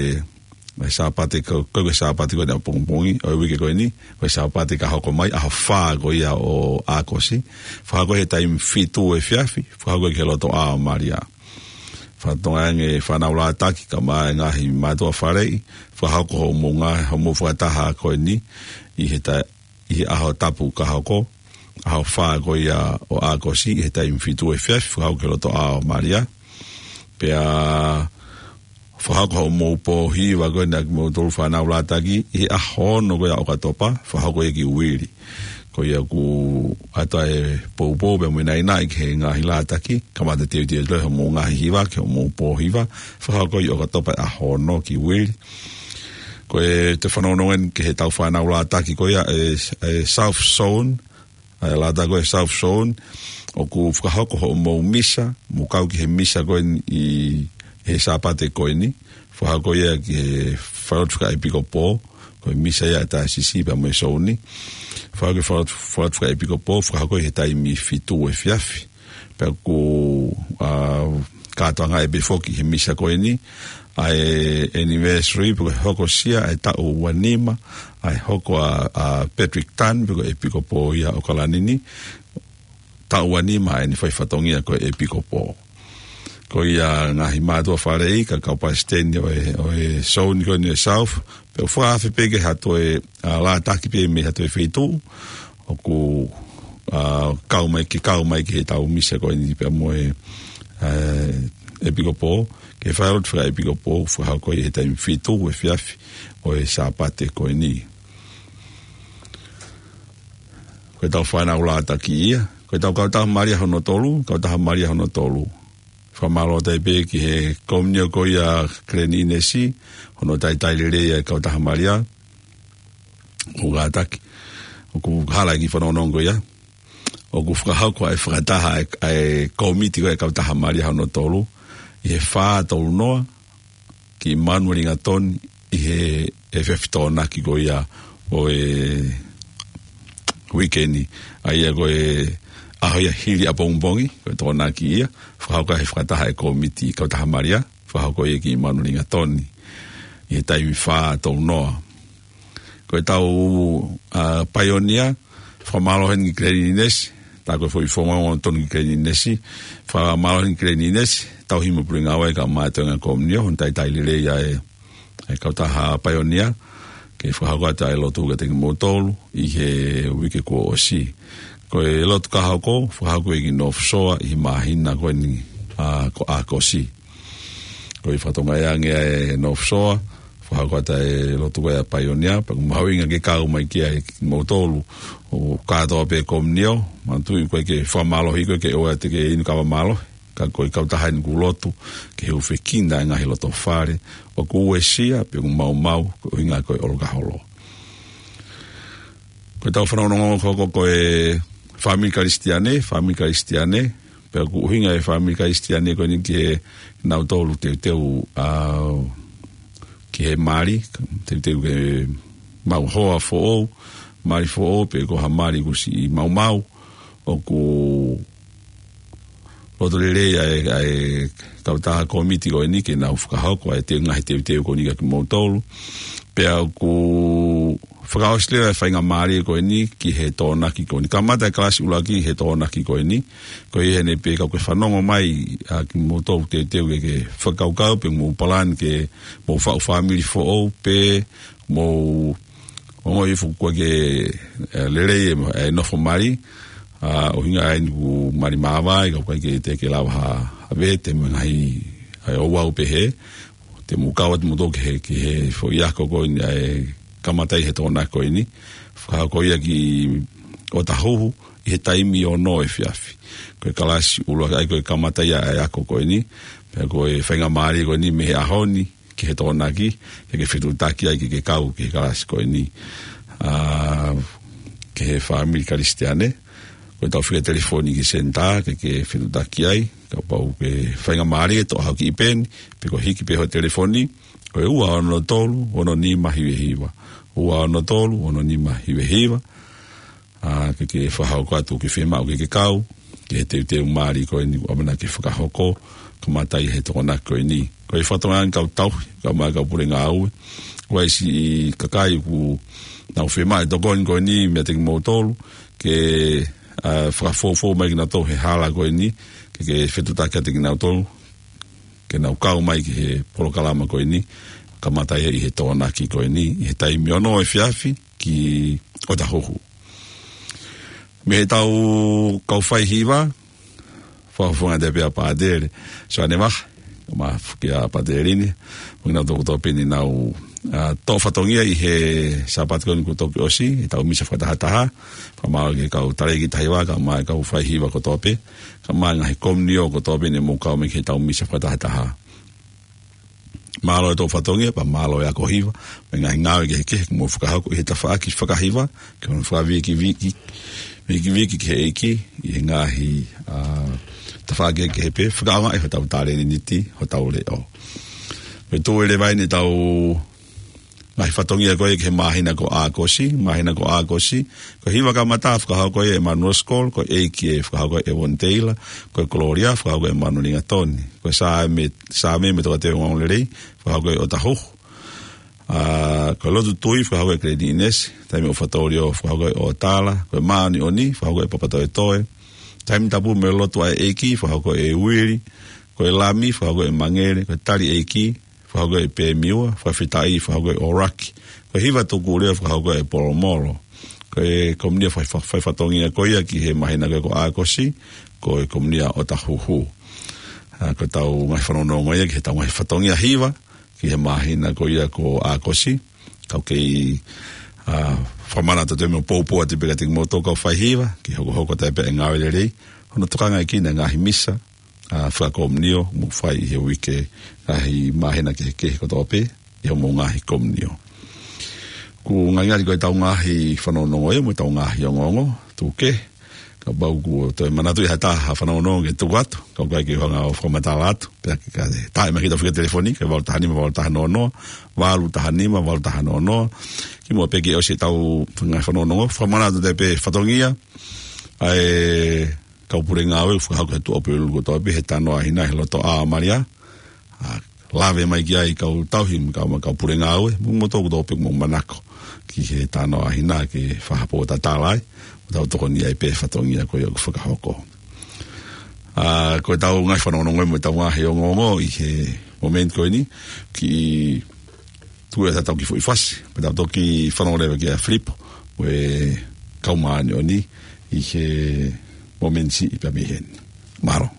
he Sāpate ko, ko e Sāpate ko eni ʻapongipongi, ʻo e uike ko eni, ko e Sāpate ka hoko mai, ʻaho fā ko ia ʻo ʻAokosi, fakahoko he taimi fitu efiafi, fakahoko ki he lotoʻā ʻo Malia. Fakatonga ange fānau Lātaki, kae ʻumaʻā e ngaahi mātuʻa faleʻi, fakahoko hoʻomou ngā, hoʻomou fakataha ko eni, ʻi he ta-, ʻi he ʻaho Tapu ka hoko, ʻaho fā ko ia ʻo ʻAokosi, he taimi fitu efiafi, fakahoko ki he lotoʻā ʻo Malia. Pea fakahoko hoʻomou pō hiva ko eni ʻa kimoutolu fānau Lātaki, ʻi he ʻaho ono ko ia ʻo ʻOkatopa, fakahoko ia ki Uili. Ko ia ʻoku ʻoatu ai e poupou pea mo e naʻinaʻi ki he ngaahi Lātaki, kamata teuteu atu hoʻomou ngaahi hiva, ki hoʻomou pō hiva, fakahoko ʻi ʻOkatopa ʻaho ono ki Uili. Ko e te fanongonongo eni ki heʻetau fānau Lātaki ko ia e, e South Zone, ʻa e lata ko e South Zone, ʻoku fakahoko hoʻomou misa, mou kau ki he misa ko eni ʻi he Sāpate ko eni, fakahoko ia ki he falelotu fakaʻepikopō, ko e misa ia ʻa e taisisi pea mo e zone. Fakahoko ki he falelotu, falelotu fakaʻepikopō, fakahoko ʻi he taimi fitu efiafi. Pea ʻoku, ʻa, kātoanga ʻe pē foki he misa ko eni, ʻa e anniversary, pe ko e hokosia, ʻa e taʻu ua nima, ʻa e hoko ʻa, ʻa Patrick Tan, pe ko e ʻepikopō ia ʻo ʻOkalani ni, taʻu ua nima ʻa ʻene fai fatongia ko e ʻepikopō. Ko ia ngaahi mātuʻa faleʻi, kae kau palesiteni ʻo e, ʻo e zone ko eni ʻo e South, pea ʻoku fakaafe pē ke hato e, ʻa, lātaki pē mei hato e feituʻu, ʻoku, ʻa, kau mai ke, kau mai ki heʻetau misa ko eni pea mo e, ʻa, ʻepikopō, ki he falelotu fakaʻepikopō, fakahoko ʻi he taimi fitu efiafi ʻo e Sāpate ko eni. Ko ʻetau fānau lātaki ia, ko ʻetau kautaha Malia hono tolu, kautaha Malia hono tolu. Fakamālō atu ai pē ki he komiunitī ko ia Glen Innes, hono talitali lelei ʻa e kautaha Malia, ʻo kātaki. ʻOku hala e kiʻi fanongonongo ko ia. ʻOku fakahoko ʻa e fakataha ʻa e, ʻa e kōmiti ko e kautaha Malia hono tolu, ʻi he fā tolu noa, ki Manuelingatoni ʻi he, he efiafi Tokonaki ko ia ʻo e uike ni. ʻA ia ko e ʻaho ia hili ʻapongipongi, ko e Tokonaki ia, fakahoko he fakataha e kōmiti kautaha Malia, fakahoko ia ki Manuelingatoni ʻi he taimi fā tolu noa. Ko ʻetau, ʻa, paionia, fakamālō heni ki Glen Innes, tā ko e foʻi fononga tonu ki Glen Innes, fakamālō heni ki Glen Innes, tauhi mo e pule ngāue kae ʻumaʻā e toenga komiunitī, hono talitali lelei ʻa e, ʻa e kautaha paionia, ke fakahoko atu ʻa e lotu kiate kimoutolu, ʻi he uike kuo ʻosi. Ko e lotu ka hoko, fakahoko ʻi North Shore, ʻi he māhina ko eni, ʻa, ko ʻAokosi. Ko e fatongia ange ʻa e North Shore, fakahoko atu ʻa e lotu ko ia paionia, pea ʻoku mahuʻinga ke kau mai ki ai kimoutolu, ʻo kātoa pē komiunitī, manatuʻi ʻoku ʻikai ke fakamālohi koe ke ʻoua te ke inu kava mālohi, ka ko e kautaha eni ʻoku lotu, ke hūfekina e ngaahi loto fale, ʻoku uesia, pea ʻoku maumau, ko e ʻuhinga ko e ʻolokaholo. Ko ʻetau fanongonongo ko, ko, ko e fāmili Kalisitiane, fāmili Kalisitiane, pea ʻoku ʻuhinga e fāmili Kalisitiane ko eni ki he nautolu teuteu, ʻa, ki he mali, teuteu ke maʻu hoa foʻou, mali foʻou, pe ko ha mali kuo siʻi maumau, ʻoku loto lelei ʻa e, ʻa e kautaha kōmiti ko eni ke nau fakahoko ʻa e teu ngaahi teuteu ko eni kiate kimoutolu. Pea ʻoku fakaʻosi leva e faingamālie ko eni ki he Tokonaki ko eni. Kamata e kalasi ʻuluaki he Tokonaki ko eni. Ko ia heni pē ka ʻoku ke fanongo mai ʻa kimoutolu teuteu ke, ke fakakaukau pe mou palani ke mou faʻu fāmili foʻou pe mou ongoʻi foki ʻoku ʻikai ke, ʻe, lelei e, e nofo mali, ʻa, ʻuhinga ʻa eni ʻoku mali māvae, ka ʻoku ʻikai ke te ke lava ha, ha vete mo e ngaahi, ʻa e ouau pehē, te mou kau atu moutolu ki he, ki he foʻi ako ko eni ʻa e kamata ʻi he Tokonaki ko eni, fakahoko ia ki ʻOtahuhu, ʻi he taimi ono efiafi. Ko e kalasi ʻuluaki ʻa ia ko e kamata ia ʻa e ako ko eni, pea ko e faingamālie ko eni mei he ʻaho ni, ki he Tokonaki, ke ke fetuʻutaki ai ke ke kau ki he kalasi ko eni. ʻA, ki he fāmili Kalisitiane, ko ʻetau fika telefoni ki he senitā, ke ke fetuʻutaki ai, kapau ʻoku ke faingamālie, toʻo haʻo kiʻi peni, pe ko e hiki pē hoʻo telefoni, ko e ua ono tolu, ono nima hiva hiva. Ua ono tolu, ono nima hiva hiva. ʻA, ke ke fakahoko atu ke fiemaʻu ke ke kau, ki he teuteu mali ko eni ʻoku ʻamanaki ke fakahoko, kamata ʻi he Tokonaki ko eni. Ko e fatongia eni kau tauhi, kae ʻumaʻā e kau pule ngāue, ʻoku ʻi ai siʻi kakai ʻoku nau fiemaʻu e tokoni ko eni meiate kimoutolu, ke, ʻa, fakafoufou mai kinautolu he hala ko eni, ke ke fetuʻutaki atu kinautolu, ke nau kau mai ki he polokalama ko eni, kamata ia ʻi he Tokonaki ko eni, ʻi he taimi ono efiafi ki ʻOtahuhu. Mei heʻetau kau fai hiva, fakafofonga atu pē ʻa Pātele Soane Vaha, mo e fuʻu kia Pātele ni, mo kinautolu kotoa pē ne nau, ʻa, toʻo fatongia ʻi he Sāpate ko eni kuo toki ʻosi, ʻetau misa fakatahataha, fakamālō ki he kau tali ki tahi vā, kae ʻumaʻā e kau fai hiva kotoa pē, kae ʻumaʻā e ngaahi komiunitī kotoa pē ne mou kau mai ki heʻetau misa fakatahataha. Mālō e toʻo fatongia, pea mālō e ako hiva, mo e ngaahi ngāue kehekehe, mou fakahoko ʻi he tafaʻaki fakahiva, ke mou fakavikivikiʻi, vikiviki ki he ʻEiki ʻi he ngaahi, ā, tafaʻaki kehekehe pē, fakaʻaongaʻi hotau talēniti, hotau leʻo. Pea tuʻu leva eni ʻetau ngaahi fatongia ko ē ki he māhina ko ʻAokosi, māhina ko ʻAokosi, ko e hiva kamata fakahoko ʻe Emmanuel Scholl, ko e ʻeiki ʻe fakahoko ʻe Evan Taylor, ko e Gloria fakahoko ʻe Manu Lingatoni, ko e Saame, Saame mo e Tokāteline Ongoongolelei fakahoko ʻe ʻOtahuhu, ā, ko e Lotu Tui fakahoko ʻe Glenn ʻInesi, Taimi ʻo Fatongia fakahoko ʻe ʻOtala, ko e Māʻoniʻoni fakahoko ʻe Papatoetoe, Taimi Tapu mo e Lotu ʻa e ʻEiki fakahoko ʻe Uili, ko e Lami fakahoko ʻe Mangele, ko e Tali ʻEiki fakahoko ʻe Pemiua, Fakafetaʻi fakahoko ʻe ʻOraki, ko e Hiva Tukuleo fakahoko ʻe Polomolo. Ko e komiunitī fai, fai, faifatongia ko ia ki he māhina ko ē ko ʻAokosi, ko e komiunitī ʻa ʻOtahuhu. Ā, ko ʻetau ngaahi fanongonongo ia ki heʻetau ngaahi fatongia hiva ki he māhina ko ia ko ʻAokosi. Kau kei, ā, fakamanatu atu mo poupou atu pē kiate kimoutolu kau faihiva, ke hokohoko atu pē e ngāue lelei, hono tokangaʻi ʻe he ʻEiki e ngaahi misa, ā, fakakomiunio ʻoku mou fai ʻi he uike, ngaahi māhina kehekehe kotoa pē ʻi hoʻomou ngaahi komiunio. ʻOku ngali ko ʻetau ngaahi fanongonongo ia mo ʻetau ngaahi ongoongo, tuku kehe, kapau ʻoku toe manatuʻi ha taha ha fanongonongo ke tuku atu, kau ʻikai ke u hanga ʻo fakamatala atu, pea ke ka te taʻe mai ki heʻetau fika telefoni, ko e valu taha nima, valu taha noa noa, valu taha nima, valu taha noa noa, kimuʻa pē ke ʻosi ʻetau ngaahi fanongonongo, fakamanatu atu pē fatongia ʻa e kau pule ngāue, fakahoko he tuʻa pē ʻulu kotoa pē he Tanoa ʻa Hina he loto ʻa Malia. Ā, lave mai ki ai kau tauhi mo e kau, mo e kau pule ngāue, mo kimoutolu kotoa pē ʻoku mou manako ki he Tanoa ʻa Hina ke fakapōtatala ai, mo tau tokoni ai pē he fatongia ko ia ʻoku fakahoko. Ā, ko ʻetau ngaahi fanongonongo ia mo ʻetau ngaahi ongoongo ʻi he momeniti ko eni, kiʻi tuku atu ʻetau kiʻi foʻi fasi, pea tau toki fanongo leva kia Filipo mo e kau māʻoniʻoni ʻi he momeniti siʻi pē mei heni. Mālō.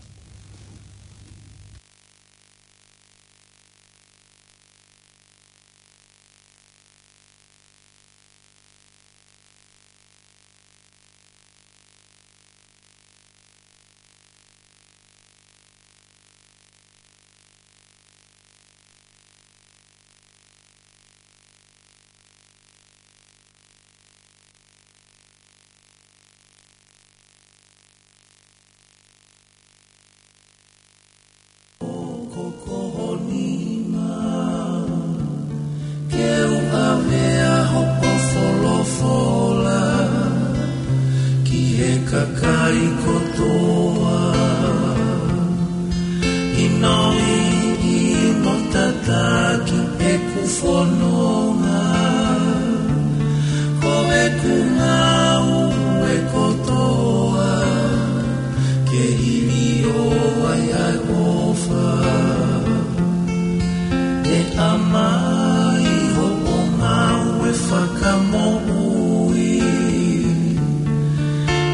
Ko hoʻo nima ke u ʻave ʻa hoʻo folofola ki he kakai kotoa, ʻi hono ʻi, ʻi hono tataki ʻeku fononga, ko ʻeku ngāue kotoa ke hiliō ai ʻa e ʻofa. ʻE ʻAmai, hoʻo ngāue fakamoʻui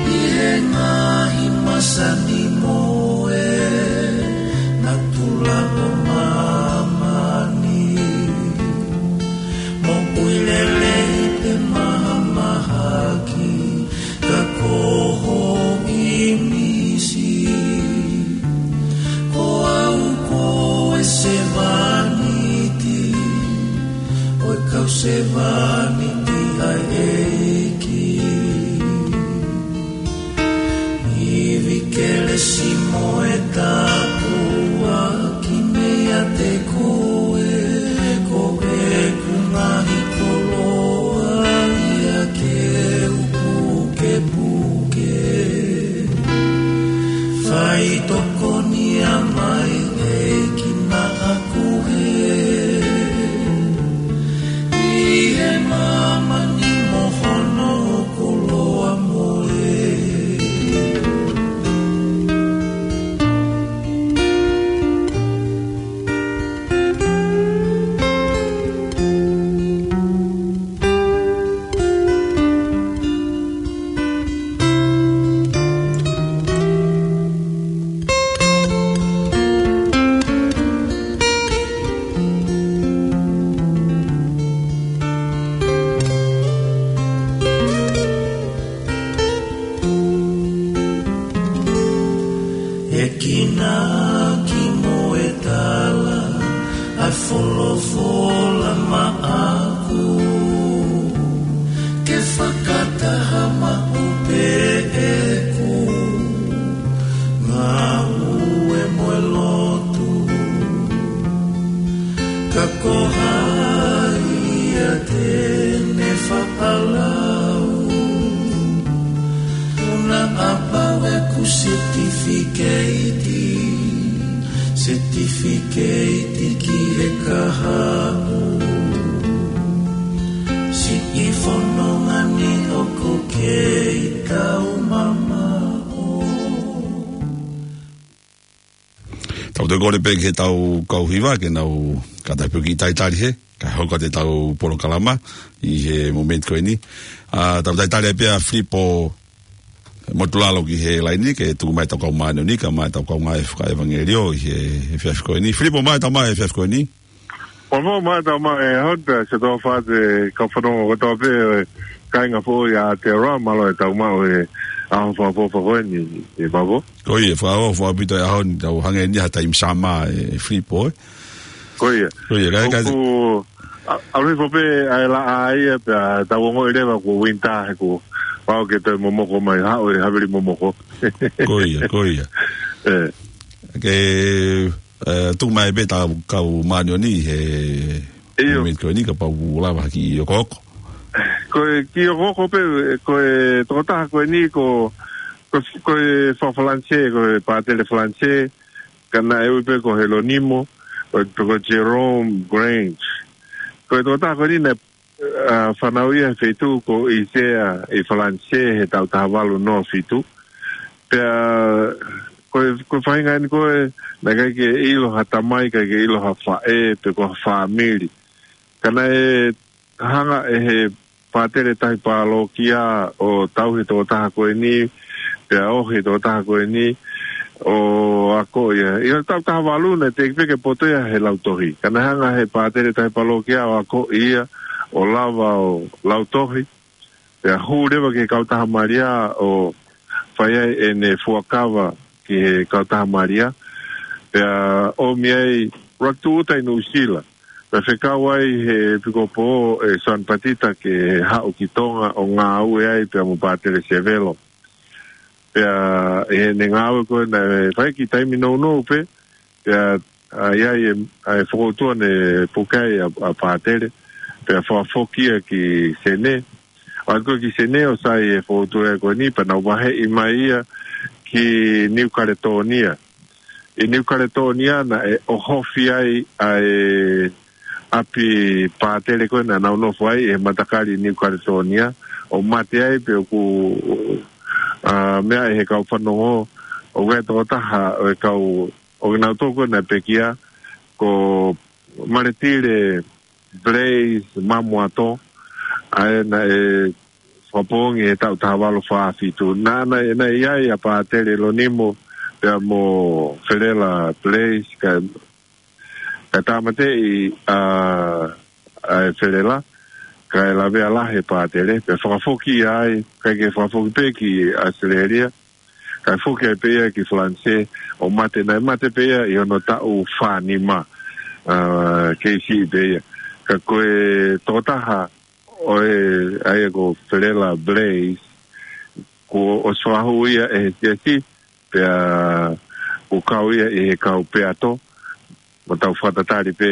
ʻi he ngaahi masani mo e natula ʻo māmani. Moʻui lelei pe mahamahaki, ka ko ho ʻīmisi. Ko au ko e sevāniti ʻo e kau sevāniti ʻa e ʻEiki. Ivi kelesi mo e tāpuaki meiate koe, ko ʻeku ngaahi koloa ia ke u pukepuke. Faitokoni ʻa mai ʻEiki naʻa ku hē ʻi he māmani mo hono koloa mo e. ʻE kinaki mo e tala ʻa e folofola maʻaku, ke fakataha maʻu pē Setifikeiti, setifikeiti ki he kahaʻu. Siʻi fononga ni ʻoku kei kau mamaʻo. Tau toe kole pē ki he tau kau hiva ke nau kātaki pē ke talitali hē, kae hoko atu e tau polokalama ʻi he momeniti ko eni. ʻA, tau talitali pē ʻa Filipo Motulalo ki he laini ke tuku mai e tau kau māʻoniʻoni kae ʻumaʻā e tau kaungā fakaʻevangeliō ʻi he, he efiafi ko eni. Filipo, mai tau mai efiafi ko eni. Mo mo mai tau mai e hot, se tau fate kau fanongo kotoa pē, e, kāinga foʻou ʻa Aotearoa, mālō e tau maʻu e ʻaho fakaʻofoʻofa ko eni, ʻi Mavo. Ko ia, fakaʻofoʻofa ʻaupito e ʻaho ni, tau hangē ni ha taimi summer, e, Filipo, ē. Ko ia. Ko ia, kae, kae ʻOku, ʻa, ʻalu hifo pē ʻa e laʻā ia pea tau ongoʻi leva ko winter he ko pau ke toe momoko mai, haʻu e havili momoko. Ko ia, ko ia. ʻE. Ke, e, tuku mai pē e tau kau māʻoniʻoni he ʻIo. momeniti ko eni kapau ʻoku lava ha kiʻi okooko. Ko e kiʻi okooko pē, ko e tokotaha ko eni ko, ko, ko e faka-Falanisē, ko e pātele Falanisē, ka naʻe ui pē ko Helonimo, ko, ko Jerome Grange. Ko e tokotaha ko eni naʻe, a, fanauʻi ia he feituʻu ko ʻIsea ʻi Falanisē he taʻu taha valu noa fitu. Pea, ko e, ko e faʻahinga eni ko ē, naʻe ʻikai ke ʻilo ha tamai, ʻikai ke ʻilo ha faʻē, pe ko ha fāmili. Ka naʻe hanga ʻe he pātele tahi pālōkia ʻo tauhi e tokotaha ko eni, pea ohi e tokotaha ko eni, ʻo ako ia. ʻI he taʻu taha valu naʻe teʻeki pē ke poto ia he lautohi. Ka naʻe hanga ʻe he pātele tahi pālōkia ʻo ako ia, ʻo lava ʻo lautohi. Pea hū leva ki he kautaha Malia ʻo fai ai ʻene fuakava ki he kautaha Malia. Pea ʻomi ai ʻuluaki tūʻuta ʻi Nuʻusila. Pea fekau ai he ʻepikopō ʻe Soane Patita ke haʻu ki Tonga ʻo ngāue ai pea mo Pātele Sevelo. Pea ʻi heʻene ngāue ko ē naʻe fai ki he taimi nounou pē, pea, a, ʻi ai e, a, e fokoutua naʻe puke ai ʻa, ʻa Pātele, pea fakafoki ia ki Senē. ʻAlu ko ē ki Senē ʻo sai e fokoutua ko eni, pea nau vaheʻi mai ia ki Niu Kaletōnia. ʻI Niu Kaletōnia naʻe ʻohofi ai ʻa e ʻapi pātele ko ē naʻa nau nofo ai he matakali ʻi Niu Kaletōnia, ʻo mate ai pea ʻoku, a, meʻa ʻe he kau fanongo, ʻoku ʻi ai e tokotaha ʻo e kau, ʻo kinautolu ko ē naʻe pekia, ko Maletile Blaise Mamoato, ʻa ē naʻe fakapoongi he taʻu taha valu fā fitu. Naʻa, naʻe, naʻe ʻi ai ʻa Pātele Lonimo pea mo Felela Blaise, kae, kae tāmateʻi ʻa, ʻa e Felela, kae lavea lahi ʻe Pātele, pea fakafoki ia ai, ʻikai ke fakafoki pē ki ʻAositelēlia, kae foki ai pē ia ki Falanisē, ʻo mate, naʻe mate pē ia ʻi hono taʻu fā nima, a, kei siʻi pē ia. Ka ko e tokotaha ʻo e, ʻa ia ko Felela Blaise, kuo ʻosi fakahū ia ʻe he siasi, pea kuo kau ia ʻi he kau peato, mo tau fakatatali pē,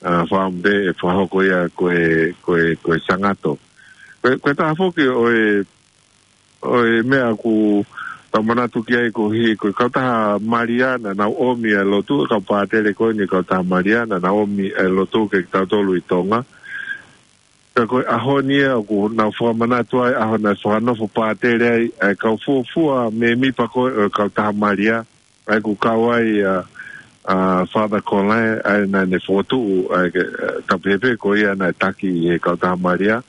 a, fakaʻamu pē ʻe fakahoko ia ko e, ko e, ko e sangato. Ko e, ko e taha foki ʻo e, ʻo e meʻa ʻoku tau manatu ki ai koeʻuhi, ko e kautaha Malia naʻa nau ʻomi ʻa e lotu, kau pātele ko eni kautaha Malia naʻa nau ʻomi ʻa e lotu kiate kitautolu ʻi Tonga. Ka ko e ʻaho ni ia ʻoku nau fakamanatu ai, ʻaho naʻe fakanofo pātele ai ʻa e kau fuofua mēmipa ko ē ʻo e kautaha Malia, ʻa ia ʻoku kau ai ʻa, ʻa Father Colin, ʻa ia naʻa ne fokotuʻu, ʻa ia ke, ʻa, tapu pē ko ia naʻe taki ʻi he kautaha Malia,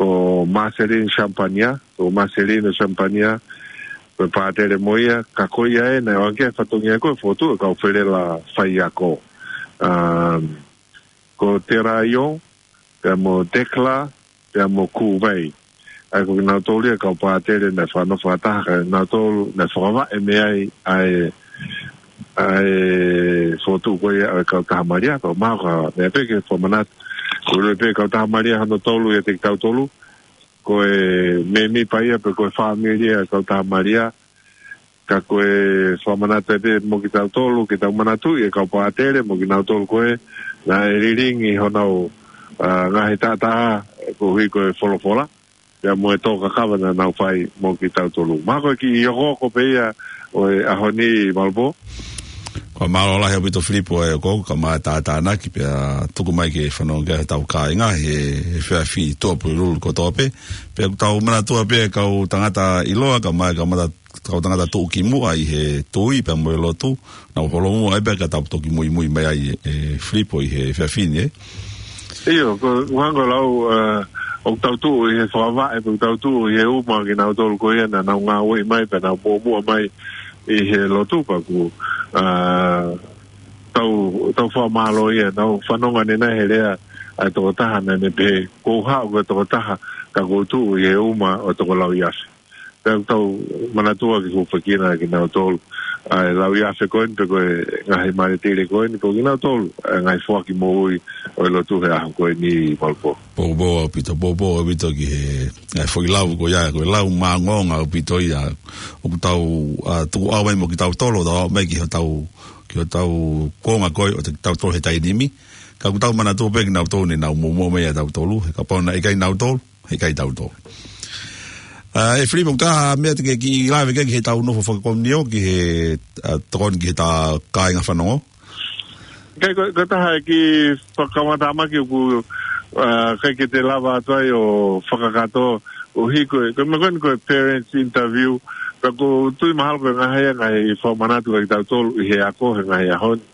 ko Marcelin Champagnat, ko Marcelino Champagnat, ko e pātele mo ia, ka ko ia ē naʻe ʻoange ki ai e fatongia ko ē ʻo fokotuʻu e kau Felela faiako. Um, ko Teraion, pea mo Tekla, pea mo Kuvei. ʻA ia ko kinautolu ia e kau pātele naʻe fakanofo fakataha, ka ko kinautolu naʻe fakavaʻe mei ai ʻa e, ʻa e fokotuʻu ko ia ʻo e kautaha Malia, ka ʻoku mahalo ko e meʻa pē ke fakamanatu. Ko e ʻuluaki pē kautaha Malia hono tolu ʻiate kitautolu, ko e mēmipa ia pe ko e fāmili ia e kautaha Malia, ka ko e fakamanatu pē mo kitautolu, ke tau manatuʻi e kau pātele mo kinautolu ko ē naʻe lilingi honau, a, ngaahi taʻataʻa koeʻuhi ko e folofola. pea mo e tō kakava naʻa nau fai mo kitautolu. Mahalo ko e kiʻi okooko pē ia ʻo e ʻaho ni, Malopō. Ko e mālō lahi ʻaupito Filipo e ko ka ma tātānaki pea tuku mai ke fanongo ki ai hotau kāinga he, he efiafi Tuʻapulelulu kotoa pē. Pea ʻoku tau manatua pē kau tangata ʻiloa, ka ma, kau mata, kau tangata tuʻu ki muʻa ʻi he tui pea mo e lotu. Naʻa nau holomua ai pē ka tau toki muimui mai ai e Filipo ʻi he efiafi ni, ē. ʻIo, ko, ʻoku hangē ko e lau, ē, ʻoku tau tuʻu ʻi he fakavaʻe, pe ʻoku tau tuʻu ʻi he uma kinautolu ko ia naʻa nau ngāueʻi mai, pea nau muʻomuʻa mai ʻi he lotu pea ʻoku, ē, tau, tau fakamālō ia, nau fanongo ʻanenai he lea ʻa e tokotaha naʻa ne pehē, kuo u haʻu ko e tokotaha, ka kuo u tuʻu ʻi he uma ʻo e toko lauiafe. Pea ʻoku tau manatua ke hūfekina kinautolu ʻa e lauiafe ko eni pe ko e ngaahi maletile ko eni, ko kinautolu ʻa e ngaahi foaki moʻui ʻo e lotu he ʻaho ko eni, Malopō. Poupou ʻaupito, poupou ʻaupito ki he, ʻa e foʻi lau ko ia, ko e lau māʻongoʻonga ʻaupito ia, ʻoku tau, ā, tukuʻau mai mo kitautolu, tau aʻu mai ki hotau, ki hotau kuonga ko ē ʻo kitautolu he taimi ni. Ka ʻoku tau manatua pē kinautolu ne nau muʻomuʻa mai ʻia tautolu, he kapau naʻe ʻikai nautolu, he ʻikai tautolu. Ā, ē Filipo, ko e hā e meʻa te ke kiʻi lave ki ai ki heʻetau nofo fakakomiunio ki he, ā, tokoni ki heʻetau kāinga fanongo? ʻIkai, ko, ko e taha e kiʻi fakamatamaki ʻoku, ā, ʻikai ke te lava atu ai ʻo fakakātoa, ʻo hiko e, ko e meʻa ko eni ko e parents interview, ka ʻoku ou tui mahalo ko e ngaahi, ngaahi fakamanatu kia kitautolu ʻi he ako he ngaahi ʻaho ni.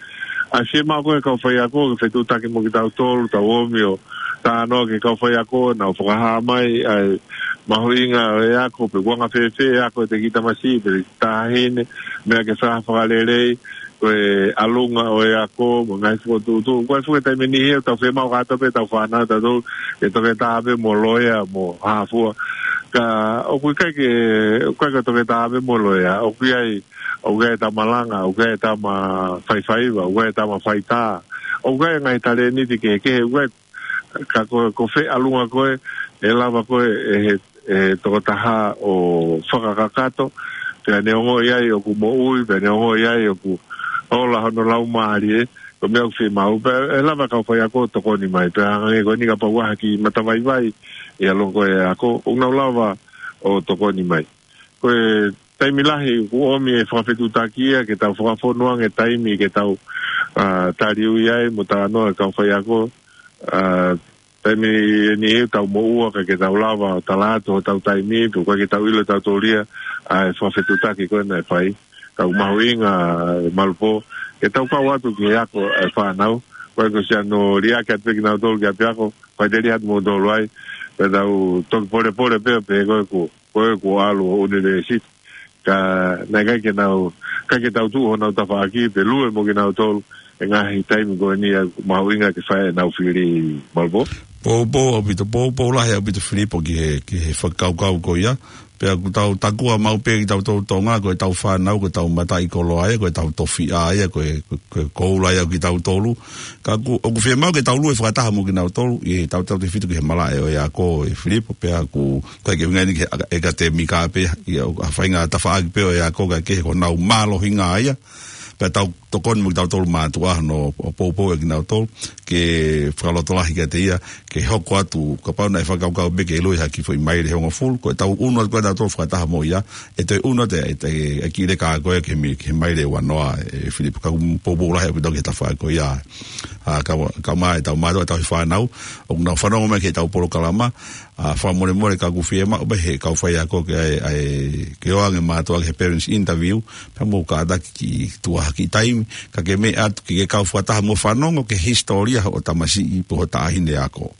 ʻA e fiemaʻu ko ē ʻa e kau faiako ke fetuʻutaki mo kitautolu, tau omi ʻo talanoa ki he kau faiako, nau fakahā mai ʻa e mahuʻinga ʻo e ako, pe ʻoku anga fēfē e ako ʻa e kiʻi tamasiʻi, pe taʻahine, meʻa ke fai ha fakalelei, ko e ʻalunga ʻo e ako, mo e ngaahi fokotuʻutuʻu, ko e fuʻu taimi ni he ʻoku tau fiemaʻu kātoa pē ʻetau fānau, tau tau, ke toketā pē mo loea, mo hā fua. Ka ʻoku ʻikai ke, ʻoku ʻikai ke toketā pē mo loea, ʻoku ʻi ai, ʻoku ʻi ai e tama langa, ʻoku ʻi ai e tama faifaiva, ʻoku ʻi ai e tama faitā, ʻoku ʻi ai e ngaahi talēniti kehekehe, ʻoku ʻi ai, ka ko, ko fē ʻalunga ko ē, ʻe lava ko ē, ʻe he, ʻe he tokotaha ʻo fakakakato, pea ne ongoʻi ai ʻoku moʻui, pea ne ongoʻi ai ʻoku ola hono laumālie, ko e meʻa ʻoku fiemaʻu, pea ʻe lava e kau faiako ʻo tokoni mai, pea hangē ko eni kapau ʻoku ʻi ai ha kiʻi matavaivai ʻi he ʻalunga ko ē ʻo e ako, ʻoku nau lava ʻo tokoni mai. Ko e taimi lahi ʻoku ʻomi e fakafetuʻutaki ia ke tau fakafonu ange taimi ke tau, ā, taliui ai mo talanoa e kau faiako, ā, taimi ʻe niʻihi ʻoku tau moʻua kae ʻikai ke tau lava ʻo tala atu hotau taimi, pe ʻoku ʻikai ke tau ʻilo ʻe tautolu ia ʻa e fakafetuʻutaki ko ē naʻe fai. Ka ʻoku mahuʻinga, ē Malopō, ke tau kau atu ki he ako ʻa e fānau, ʻoku ʻikai ko siʻano liʻaki atu pē kinautolu ki ʻapiako, fai teli atu moutolu ai, pea tau toki polepole pē, pehē ko ē kuo, ko ē kuo ʻalu ʻo ʻunivēsiti. Ka naʻe ʻikai ke nau, ʻikai ke tau tuʻu honau tafaʻaki, pe lue mo kinautolu, he ngaahi taimi ko eni ʻoku mahuʻinga ke fai ʻenau fili, Malopō. Poupou ʻaupito, poupou lahi ʻaupito Filipo ki he, ki he fakakaukau ko ia, pea ʻoku tau takua maʻu pē kitautolu Tonga, ko ʻetau fānau, ko ʻetau mataʻikoloa ia, ko ʻetau tofiʻa ia, ko e, ko e, ko e koula ia ʻo kitautolu. Ka ʻoku, ʻoku fiemaʻu ke tau lue fakataha mo kinautolu, ʻi heʻetau tautefito ki he malaʻe ʻo e ako, ē Filipo, pea ʻoku ʻikai ke ʻuhinga eni ki he ʻakadēmika pē, ʻi he ʻa e faʻahinga tafaʻaki pē ʻo e ako, kae kehe ko honau mālohinga ia, pea tau tokoni mo kitautolu mātuʻa hono ʻo poupou ʻa kinautolu, ke fakalotolahi kiate ia, ke hoko atu, kapau naʻe fakakaukau pē ke ʻilo ha kiʻi foʻi maile ʻe hongofulu, ko ʻetau ʻunu atu ko ē kitautolu fakataha mo ia, ʻe toe ʻunu atu e, e, e, e kiʻi leka ko ē ki he mi-, ki he maile ʻe uanoa, ē Filipo, ka ʻoku poupou lahi ʻaupito ki he tafaʻaki ko ia. Ā, ka, ka mai ʻetau mātuʻa, ʻetau fānau, ʻoku nau fanongo mai ki heʻetau polokalama, ā, fakamolemole ka ʻoku fiemaʻu pē ʻe he kau faiako ke ʻai, ʻai, ke ʻoange mātuʻa ki he parents interview, pea mou kātaki ke tuku ha kiʻi taimi, kae ke meʻa atu ke ke kau fakataha mo fanongo ki he hisitōlia hoʻo tamasiʻi pe ho taʻahine ako.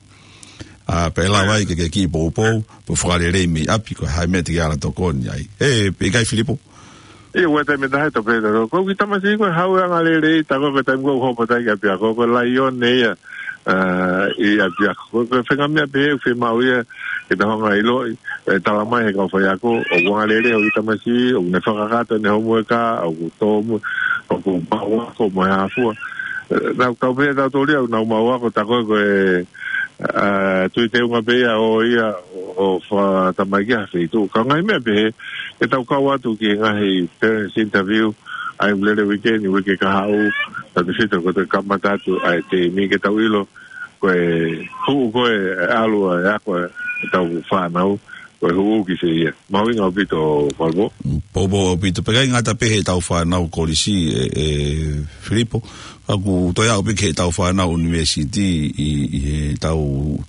Ā, pea ʻe lava ai ke ke kiʻi poupou, pe fakalelei mei ʻapi, ko e hā e meʻa te ke ala tokoni ai. Ē, pe ʻikai Filipo? ʻIo, ʻoku ʻi ai e taimi ʻe taha ʻe tau pehē ʻe tautolu, ko e kiʻi tamasiʻi ko ē ʻoku haʻu ange ʻo lelei, tā ko ē ko e taimi ko ē ʻoku hopo atu ai ki ʻapiako, ko e laione ia, ā, ʻi ʻapiako. Ko e, ko e faʻahinga meʻa pehē ʻoku fiemaʻu ia ke tau hanga ʻo ʻiloʻi, ē, talamai ʻe he kau faiako, ʻoku ange lelei hoʻo kiʻi tamasiʻi, ʻoku ne fakakakato ʻene homework, ʻoku tōmui, ʻoku maʻu ako mo e hā fua. Ē, naʻa tau pehē ʻe tautolu ia, ʻoku nau maʻu ako, tā ko ē ko e, ā, tui teunga pē ia ʻo ia, ʻo, ʻo fakatamaki ha feituʻu. Ka ko e ngaahi meʻa pehē, ke tau kau atu ki he ngaahi parents interview, ʻa ia ʻoku lele weekend, uike kahaʻu, tautefito ko e toe kamata atu ʻa e teimi ke tau ʻilo, ko e hū ko ē ʻalu ʻa e ako ʻetau fānau, ko e hū ki fē ia. Mahuʻinga ʻaupito, Malvo. Poupou ʻaupito. Pea ʻikai ngata pē heʻetau fānau kolisi, ē, ē, Filipo. Ka ʻoku toe aʻu pē ki heʻetau fānau ʻunivēsiti ʻi, ʻi heʻetau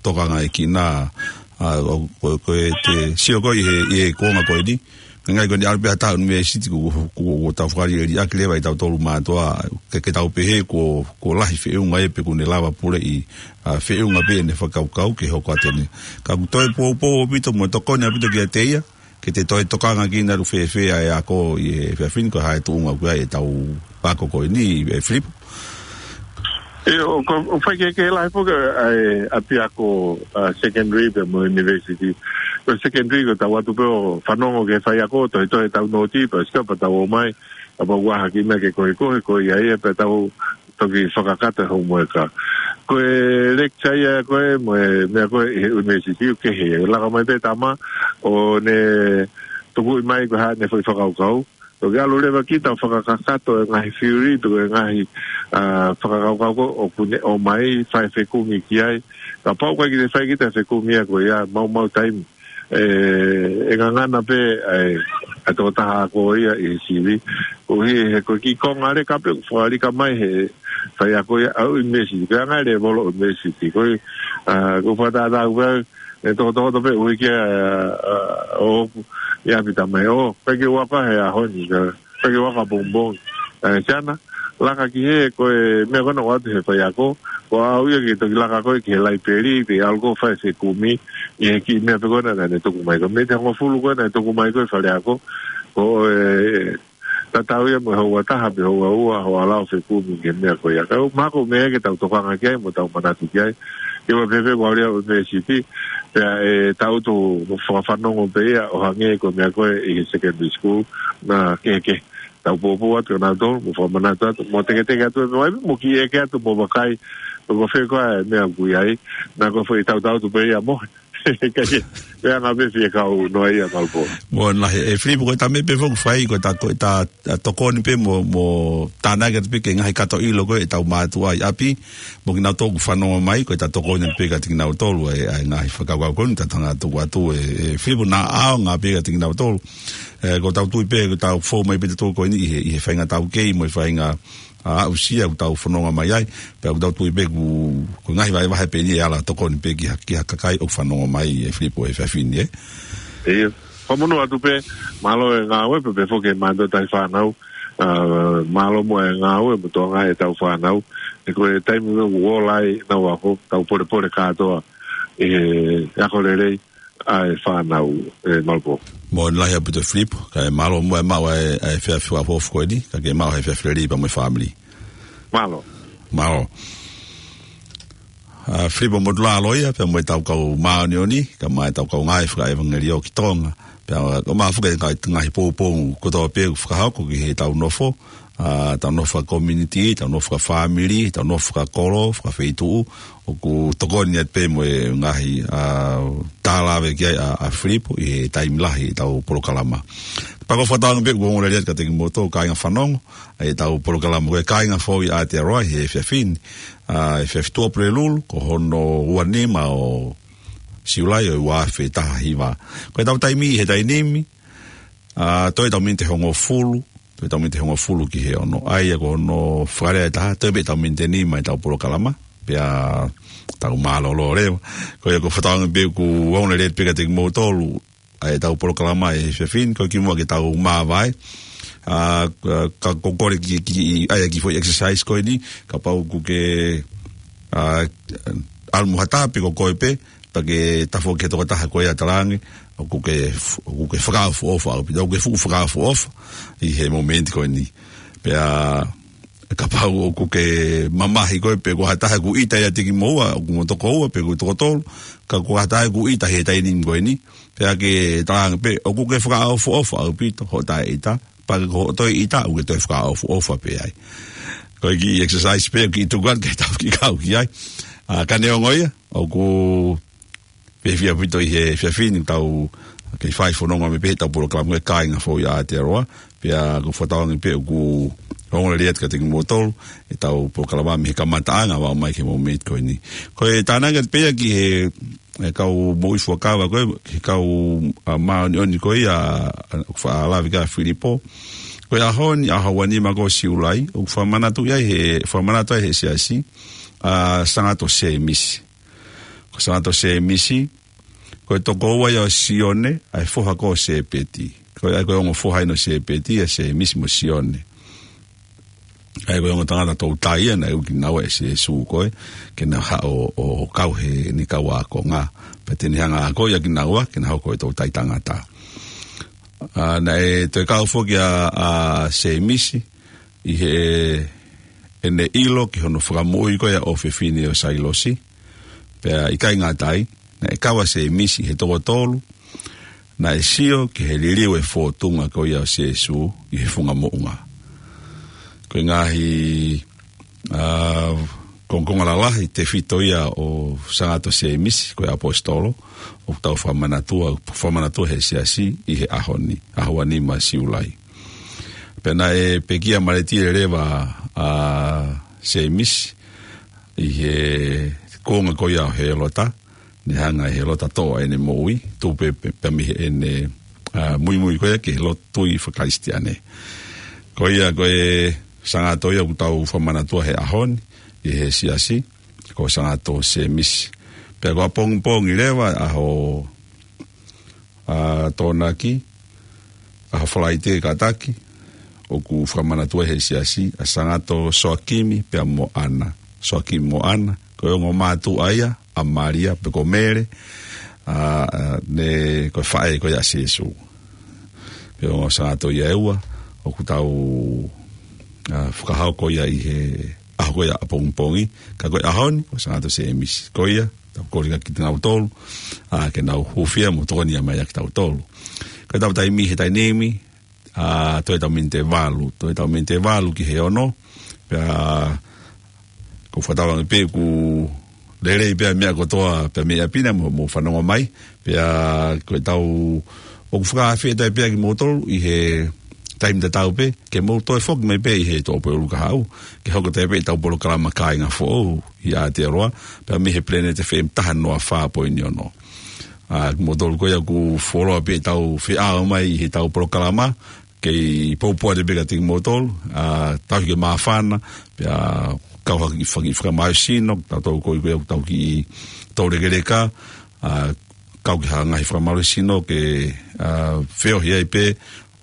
tokangaʻi kinautolu, ʻa, ʻo, ko, ko e te sio ko ē ʻi he, ʻi he kuonga ko eni. Ka ʻikai ko eni ʻalu pē ha taha ʻunivēsiti kuo, kuo, kuo tau fakaliʻeliʻaki leva ʻe tautolu mātuʻa, ke, ke tau pehē kuo, kuo lahi feʻunga ia pe kuo ne lava puleʻi, ʻa, feʻunga pē ʻene fakakaukau ke hoko atu eni. Ka ʻoku toe poupou ʻaupito mo tokoni ʻaupito kiate ia, ke te toe tokangaʻi kinautolu fēfē ʻa e ako ʻi he efiafi ni, ko e hā e tuʻunga ʻoku ʻi ai ʻetau ako ko eni, ē Filipo. ʻIo, ʻoku, ʻoku faikehekehe lahi foki ʻa e ʻapiako, ʻa, secondary pea mo e university. Ko e secondary ko ʻetau ō atu pē ʻo fanongo ki he faiako, tohetohe ʻetau nōti, pea sio pea tau ō mai, kapau ʻoku ʻi ai ha kiʻi meʻa ke kohekohe, ko ia ia pea tau toki fakakakato e homework. Ko e lecture ia ko ē, mo e meʻa ko ē ʻi he university ʻoku kehe ia. Laka mai pē tama, ʻo ne tukuʻi mai ko e hā ʻene foʻi fakakaukau. Toki ʻalu leva ki heʻetau fakakakato e ngaahi theory, pe ko e ngaahi, ʻa, fakakaukau ko ē ʻoku ne ʻomai mai, fai fekumi ki ai. Kapau ʻoku ʻikai ke te fai kita e fekumi ia ko ia, maumau taimi. ʻE, ʻe ngangana pē, ʻa e, ʻa e tokotaha ako ia ʻi he sivi. Koeʻuhi he ko e kiʻi konga leka pē, fakalika mai he faiako ia ʻa e ʻunivēsiti. Ko e anga e lēvolo ʻunivēsiti. Ko e, ʻa, ko e fakatātā pē, ʻe tokotokoto pē ʻuhi ki he, ʻa, ʻoku ʻi ai pē tama ʻo, ʻikai ke u ako he ʻaho ni, ka, ʻikai ke u ako pongipongi. ʻE, Siana, laka ki hē, ko e meʻa ko ena ʻoku ʻoatu he faiako, ko au ia ke toki laka ko ē ki he laipeli, ke ʻalu ko ē ʻo fai fekumi, ʻi he kiʻi meʻa pē ko ena naʻa ne tuku mai ko ē. Miniti hongofulu ko ē naʻe tuku mai ko ē ʻe he faleako, ko e, tatau ia mo e houa ʻe taha pe houa ʻe ua, hoʻo ʻalu ʻo fekumi ki he meʻa ko ia. Ka ʻoku mahalo ko e meʻa ke tau tokanga ki ai, mo tau manatu ki ai. Ke ʻoua pē pē ʻoku ʻalu ia ʻo ʻunivēsiti, pea ʻe tangutu fakafanongo pē ia ʻo hangē ko e meʻa ko ē ʻi he secondary school, naʻe kehekehe. Tau poupou atu kia nautolu, mo fakamanatu atu, mo teketeke atu, mo ʻai, mo kiʻi ʻeke atu, mo vakai, ko fē koā e meʻa ʻoku ʻi ai, naʻa ko e foʻi tangutu pē ia mo. Ka ke, pea ngā pē fie kau noa ia Malvo. Mo na he, ē Filipo, ko e tama pē foki fai, ko e ta, ko e ta, ta tokoni pē mo, mo tānaki atu pē ki he ngaahi kato ʻilo ko ē ʻetau mātuʻa ʻi ʻapi, mo kinautolu ʻoku fanongo mai, ko e ta tokoni pē kiate kinautolu, ʻa e, ʻa e ngaahi fakakaukau ko eni, ta tanga tuku atu, ē, ē Filipo, naʻa ʻaonga pē kiate kinautolu. Ē, ʻoku tau tui pē, ʻoku tau fou mai pē tautolu ko eni ʻi he, ʻi he faʻahinga taukei, mo e faʻahinga ʻa, aʻusia ʻoku tau fononga mai ai, pea ʻoku tau tui pē ʻoku, ko e ngaahi vahevahe pē eni ʻe ala tokoni pē ki ha, ki ha kakai ʻoku fanongo mai ē Filipo he efiafi ni, ē? ʻIo. Fakamonū atu pē, mālō e ngāue pē, pea foki e mātuʻa taʻefānau, ʻa, mālō muʻa e ngāue mo e tokangaʻi ʻetau fānau, he ko e taimi ʻoku ola ai ʻenau ako, tau polepole kātoa ʻi he ako lelei ʻa e fānau, ē Malvo. Moʻoni lahi ʻaupito Filipo, kae mālō muʻa e maʻu ʻa e, ʻa e efiafi fakaʻofoʻofa ko eni, ka ke maʻu ha efiafi lelei pea mo e fāmili. Mālō. Mālō. ʻA, Filipo Motulaloia, pea mo ʻetau kau māʻoniʻoni, kae ʻumaʻā ʻetau kau ngāue fakaʻevangeliō ki Tonga. Pea ʻoku maʻu foki e ngaahi, ngaahi poupou kotoa pē ʻoku fakahoko ki heʻetau nofo, ʻa, ʻetau nofo faka-community, ʻetau nofo fakafāmili, ʻetau nofo fakakolo, fakafeituʻu, ʻoku tokoni atu pē mo e ngaahi, ʻa, tālave ki ai ʻa, ʻa Filipo ʻi he taimi lahi ʻetau polokalama. Pea ʻoku ou fakatauange pē ʻoku ongo lelei atu kiate kimoutolu kāinga fanongo ʻetau polokalama ko e Kāinga Foʻou ʻi Aotearoa he efiafi ni, ʻa, efiafi Tuʻapulelulu, ko hono ua nima ʻo Siulai ʻo e ua afe taha hiva. Ko ʻetau taimi he taimi ni, ʻa, toe ʻetau miniti ʻe hongofulu, toe ʻetau miniti ʻe hongofulu ki he ono. ʻA ia ko hono fakalea ʻe taha, toe pē ʻetau miniti ʻe nima ʻetau polokalama, pea tau mālōlō leva. Ko ia ʻoku ou fakatauange pē ʻoku ongo lelei atu pē kiate kimoutolu ʻa ʻetau polokalama he efiafi ni, ko e kimuʻa ke tau māvae. ʻA, ka, ka ʻoku ou kole ke, ke, ʻa e kiʻi foʻi exercise ko eni, kapau ʻoku ke, ʻa, ʻalu mo ha taha pe ko koe pē, pea ke tafoki ki he tokotaha ko ia ʻo talaange, ʻoku ke f-, ʻoku ke fakaʻofoʻofa ʻaupito, ʻoku ke fuʻu fakaʻofoʻofa ʻi he momeniti ko eni. Pea kapau ʻoku ke mamahi koe pe ko ha taha ʻoku ʻita ʻiate kimoua, ʻoku mo toko ua pe ʻoku toko tolu, ka ko ha taha ʻoku ʻita he taimi ni ko eni, pea ke talaange pē, ʻoku ke fakaʻofoʻofa ʻaupito hoʻo taʻeʻita, pea ko hoʻo toe ʻita, ʻoku ke toe fakaʻofoʻofa pē ai. Ko e kiʻi exercise pē, kiʻi tuku atu ke tau kiʻi kau ki ai. ʻA, ka neongo ia, ʻoku fiefia ʻaupito ʻi he efiafi ni ʻoku tau kei fai fononga mai pē heʻetau polokalama ko e Kāinga Foʻou ʻi Aotearoa, pea ʻoku ou fakatauange pē ʻoku ongo lelei atu kiate kimoutolu ʻetau polokalama mei he kamataʻanga ʻo aʻu mai ki he momeniti ko eni. Ko e tānaki atu pē ia ki he e kau moʻui fuakava ko ē, he kau, ā, māʻoniʻoni ko ia, ā, ʻoku faʻa lave ki ai ʻa Filipo. Ko e ʻaho ni, ʻaho ua nima ko Siulai, ʻoku fakamanatu ai he, fakamanatu ai he siasi, ʻa Sangato Sēmisi. Ko Sangato Sēmisi, ko e tokoua ia ʻo Sione, ʻa e foha ko Sēpeti. Ko ia ko e ongo foha ʻeni ʻo Sēpeti, ʻa Sēmisi mo Sione. ʻA ia ko e ongo tangata toutai ia naʻe ui kinaua ʻe Sīsū ko ē, ke na haʻu ʻo, ʻo kau he ʻene kau ākonga. Pea te ne hanga ʻo ako ʻia kinaua, ke na hoko ko e toutai tangata. Ā, naʻe toe kau foki ʻa, ʻa Sēmisi, ʻi he, ʻene ʻilo ki hono fakamoʻui ko ia ʻo e ʻofefine ʻo Sailosi. Pea ʻikai ngata ai, naʻe kau ʻa Sēmisi he toko tolu, naʻe sio ki he liliu e fōtunga ko ia ʻo Sīsū ʻi he funga moʻunga. Ko e ngaahi, ā, kongokonga lalahi tefito ia ʻo Sangato Sēmisi, ko e ʻaposetolo, ʻoku tau fakamanatua, fakamanatua he siasi ʻi he ʻaho ni, ʻaho ua nima Siulai. Pea naʻe pekia malētia leva ʻa Sēmisi ʻi he kuonga ko ia ʻo Hēlota, ne hanga ʻe Hēlota ʻo toʻo ʻene moʻui, tupu pē, pē, pē mei heʻene, ā, muimui ko ia ki he lotu tui faka-Kalisitiane. Ko ia ko e Sangato ia ʻoku tau fakamanatua he ʻaho ni, ʻi he siasi, ko Sangato Sēmisi. Pea ko ʻapongipongi leva, ʻaho, ā, Tokonaki, ʻaho Falaite kātaki, ʻoku fakamanatua he siasi, ʻa Sangato Soakimi pea mo ʻAna. Soakimi mo ʻAna, ko e ongo mātuʻa ia ʻa Malia pe ko Mele, ā, ā, ne ko e faʻē ko ia ʻa Sīsū. Pea ongo Sangato ia ʻe ua, ʻoku tau, ā, fakahoko ia ʻi he ʻaho ko ia ʻapongipongi, ka ko e ʻaho ni, ko Sangato Sēmisi. Ko ia, tau kole kia kinautolu, ā, ke nau hūfia mo tokoni mai ʻia kitautolu. Ko ʻetau taimi he taimi ni, ā, toe ʻetau miniti ʻe valu, toe ʻetau miniti ʻe valu ki he ono, pea ʻoku ou fakatauange pē ʻoku lelei pē ʻa e meʻa kotoa pē mei ʻapi na mo, mo fanongo mai, pea ko ʻetau, ʻoku fakaafeʻi atu pē ʻa kimoutolu ʻi he taimi tatau pē, ke mou toe foki mai pē ʻi he Tuʻapulelulu kahaʻu, ke hoko atu pē ʻetau polokalama Kāinga Foʻou ʻi Aotearoa, pea mei he Planet F M taha noa fā poini ono. Ā, kimoutolu ko ia ʻoku fuoloa pē ʻetau feʻao mai ʻi heʻetau polokalama, kei poupou atu pē kiate kimoutolu, ā, tauhi ke māfana, pea kau ha kiʻi fanga kiʻi fakamālohisino, tautolu ko ia ʻoku tau kiʻi toulekeleka, ā, kau ki ha ngaahi fakamālohisino ke, ā, feohi ai pē,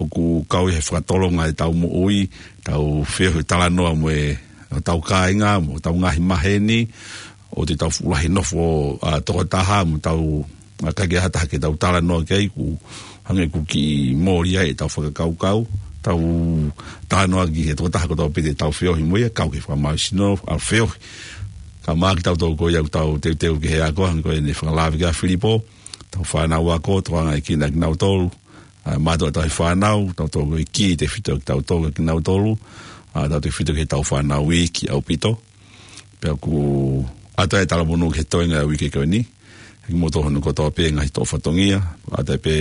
ʻoku kau ʻi he fakatolonga ʻetau moʻui, tau feohi talanoa mo e, hotau kāinga, mo hotau ngaahi maheni, ʻoku tau fuʻu lahi nofo, ā, tokotaha, mo tau, ā, ʻikai ke ʻi ai ha taha ke tau talanoa ki ai, ʻoku hangē ʻoku kiʻi mole ai ʻetau fakakaukau, tau talanoa ki he tokotaha kotoa pē te tau feohi mo ia, kau ki he fakamālohisino, ʻa e feohi. Kae ʻumaʻā kitautolu ko ia ʻoku tau teuteu ki he ako, hangē ko ʻene fakalave kia Filipo, ʻetau fānau ako, tokanga ʻa kinautolu, ā, mātuʻa tauhi fānau, tautolu ko e kī tefito kitautolu, kinautolu, ā, tautefito ki heʻetau fānau iiki ʻaupito. Pea ʻoku ʻoatu ai e talamonū ki he toenga ʻo e uike ko eni. He kimoutolu hono kotoa pē ngaahi toʻo fatongia, ʻoatu ai pē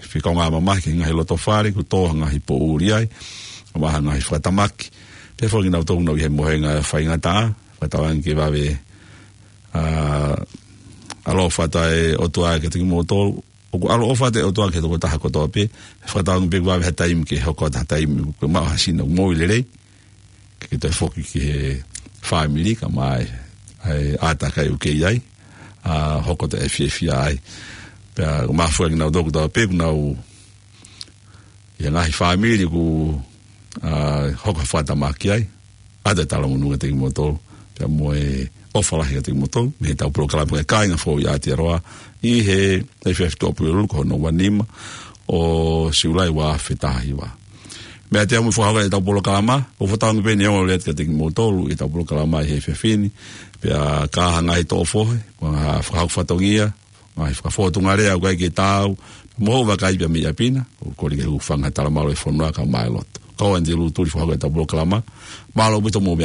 fika ngā mamahi ki he ngaahi loto fale, ʻoku tō ha ngaahi poʻuli ai, ʻomai ha ngaahi fakatamaki. Pea foki kinautolu ʻoku nau ʻi he mohenga faingataʻa, fakatauange ke vave, ā, ʻaloʻofa atu e ʻOtua kiate kimoutolu, ʻoku ʻaloʻofa atu e ʻOtua ki he tokotaha kotoa pē, fakatauange pē kuo vave ha taimi ke hoko atu ha taimi, kuo maʻu ha sino moʻui lelei, ke ke toe foki ki he fāmili kae ʻumaʻā e, ʻa e ʻātakai ʻoku ke ʻi ai, ā, hoko atu e fiefia ai. Pea ʻoku ou fakaʻamu atu kinautolu kotoa pē ʻoku nau ʻi he ngaahi fāmili ʻoku, ā, hoko ha fakatamaki ai, ʻoatu e talamonū kiate kimoutolu, pea mo e ʻofa lahi kiate kimoutolu, mei heʻetau polokalama ko e Kāinga Foʻou ʻi Aotearoa, ʻi he efiafi Tuʻapulelulu ko hono ua nima ʻo Siulai ua afe taha hiva. Mei he ʻosi mo e fakahoko ʻetau polokalama, ʻoku ou fakatauange pē ʻe ongo lelei atu kiate kimoutolu ʻetau polokalama ʻi he efiafi ni, pea ka ʻi ai ha ngaahi toʻo fohe, mo ha fakahoko fatongia, ngaahi fakafōtunga lea ʻoku ʻikai ke taau, mo hoʻo vakai pē mei ʻapi na, ʻoku ou kole ke u hūfanga he talamalu ʻo e fonua kae ʻumaʻā e lotu. Ko au ʻAnitelū Tuli fakahoko ʻetau polokalama, mālō ʻaupito mo e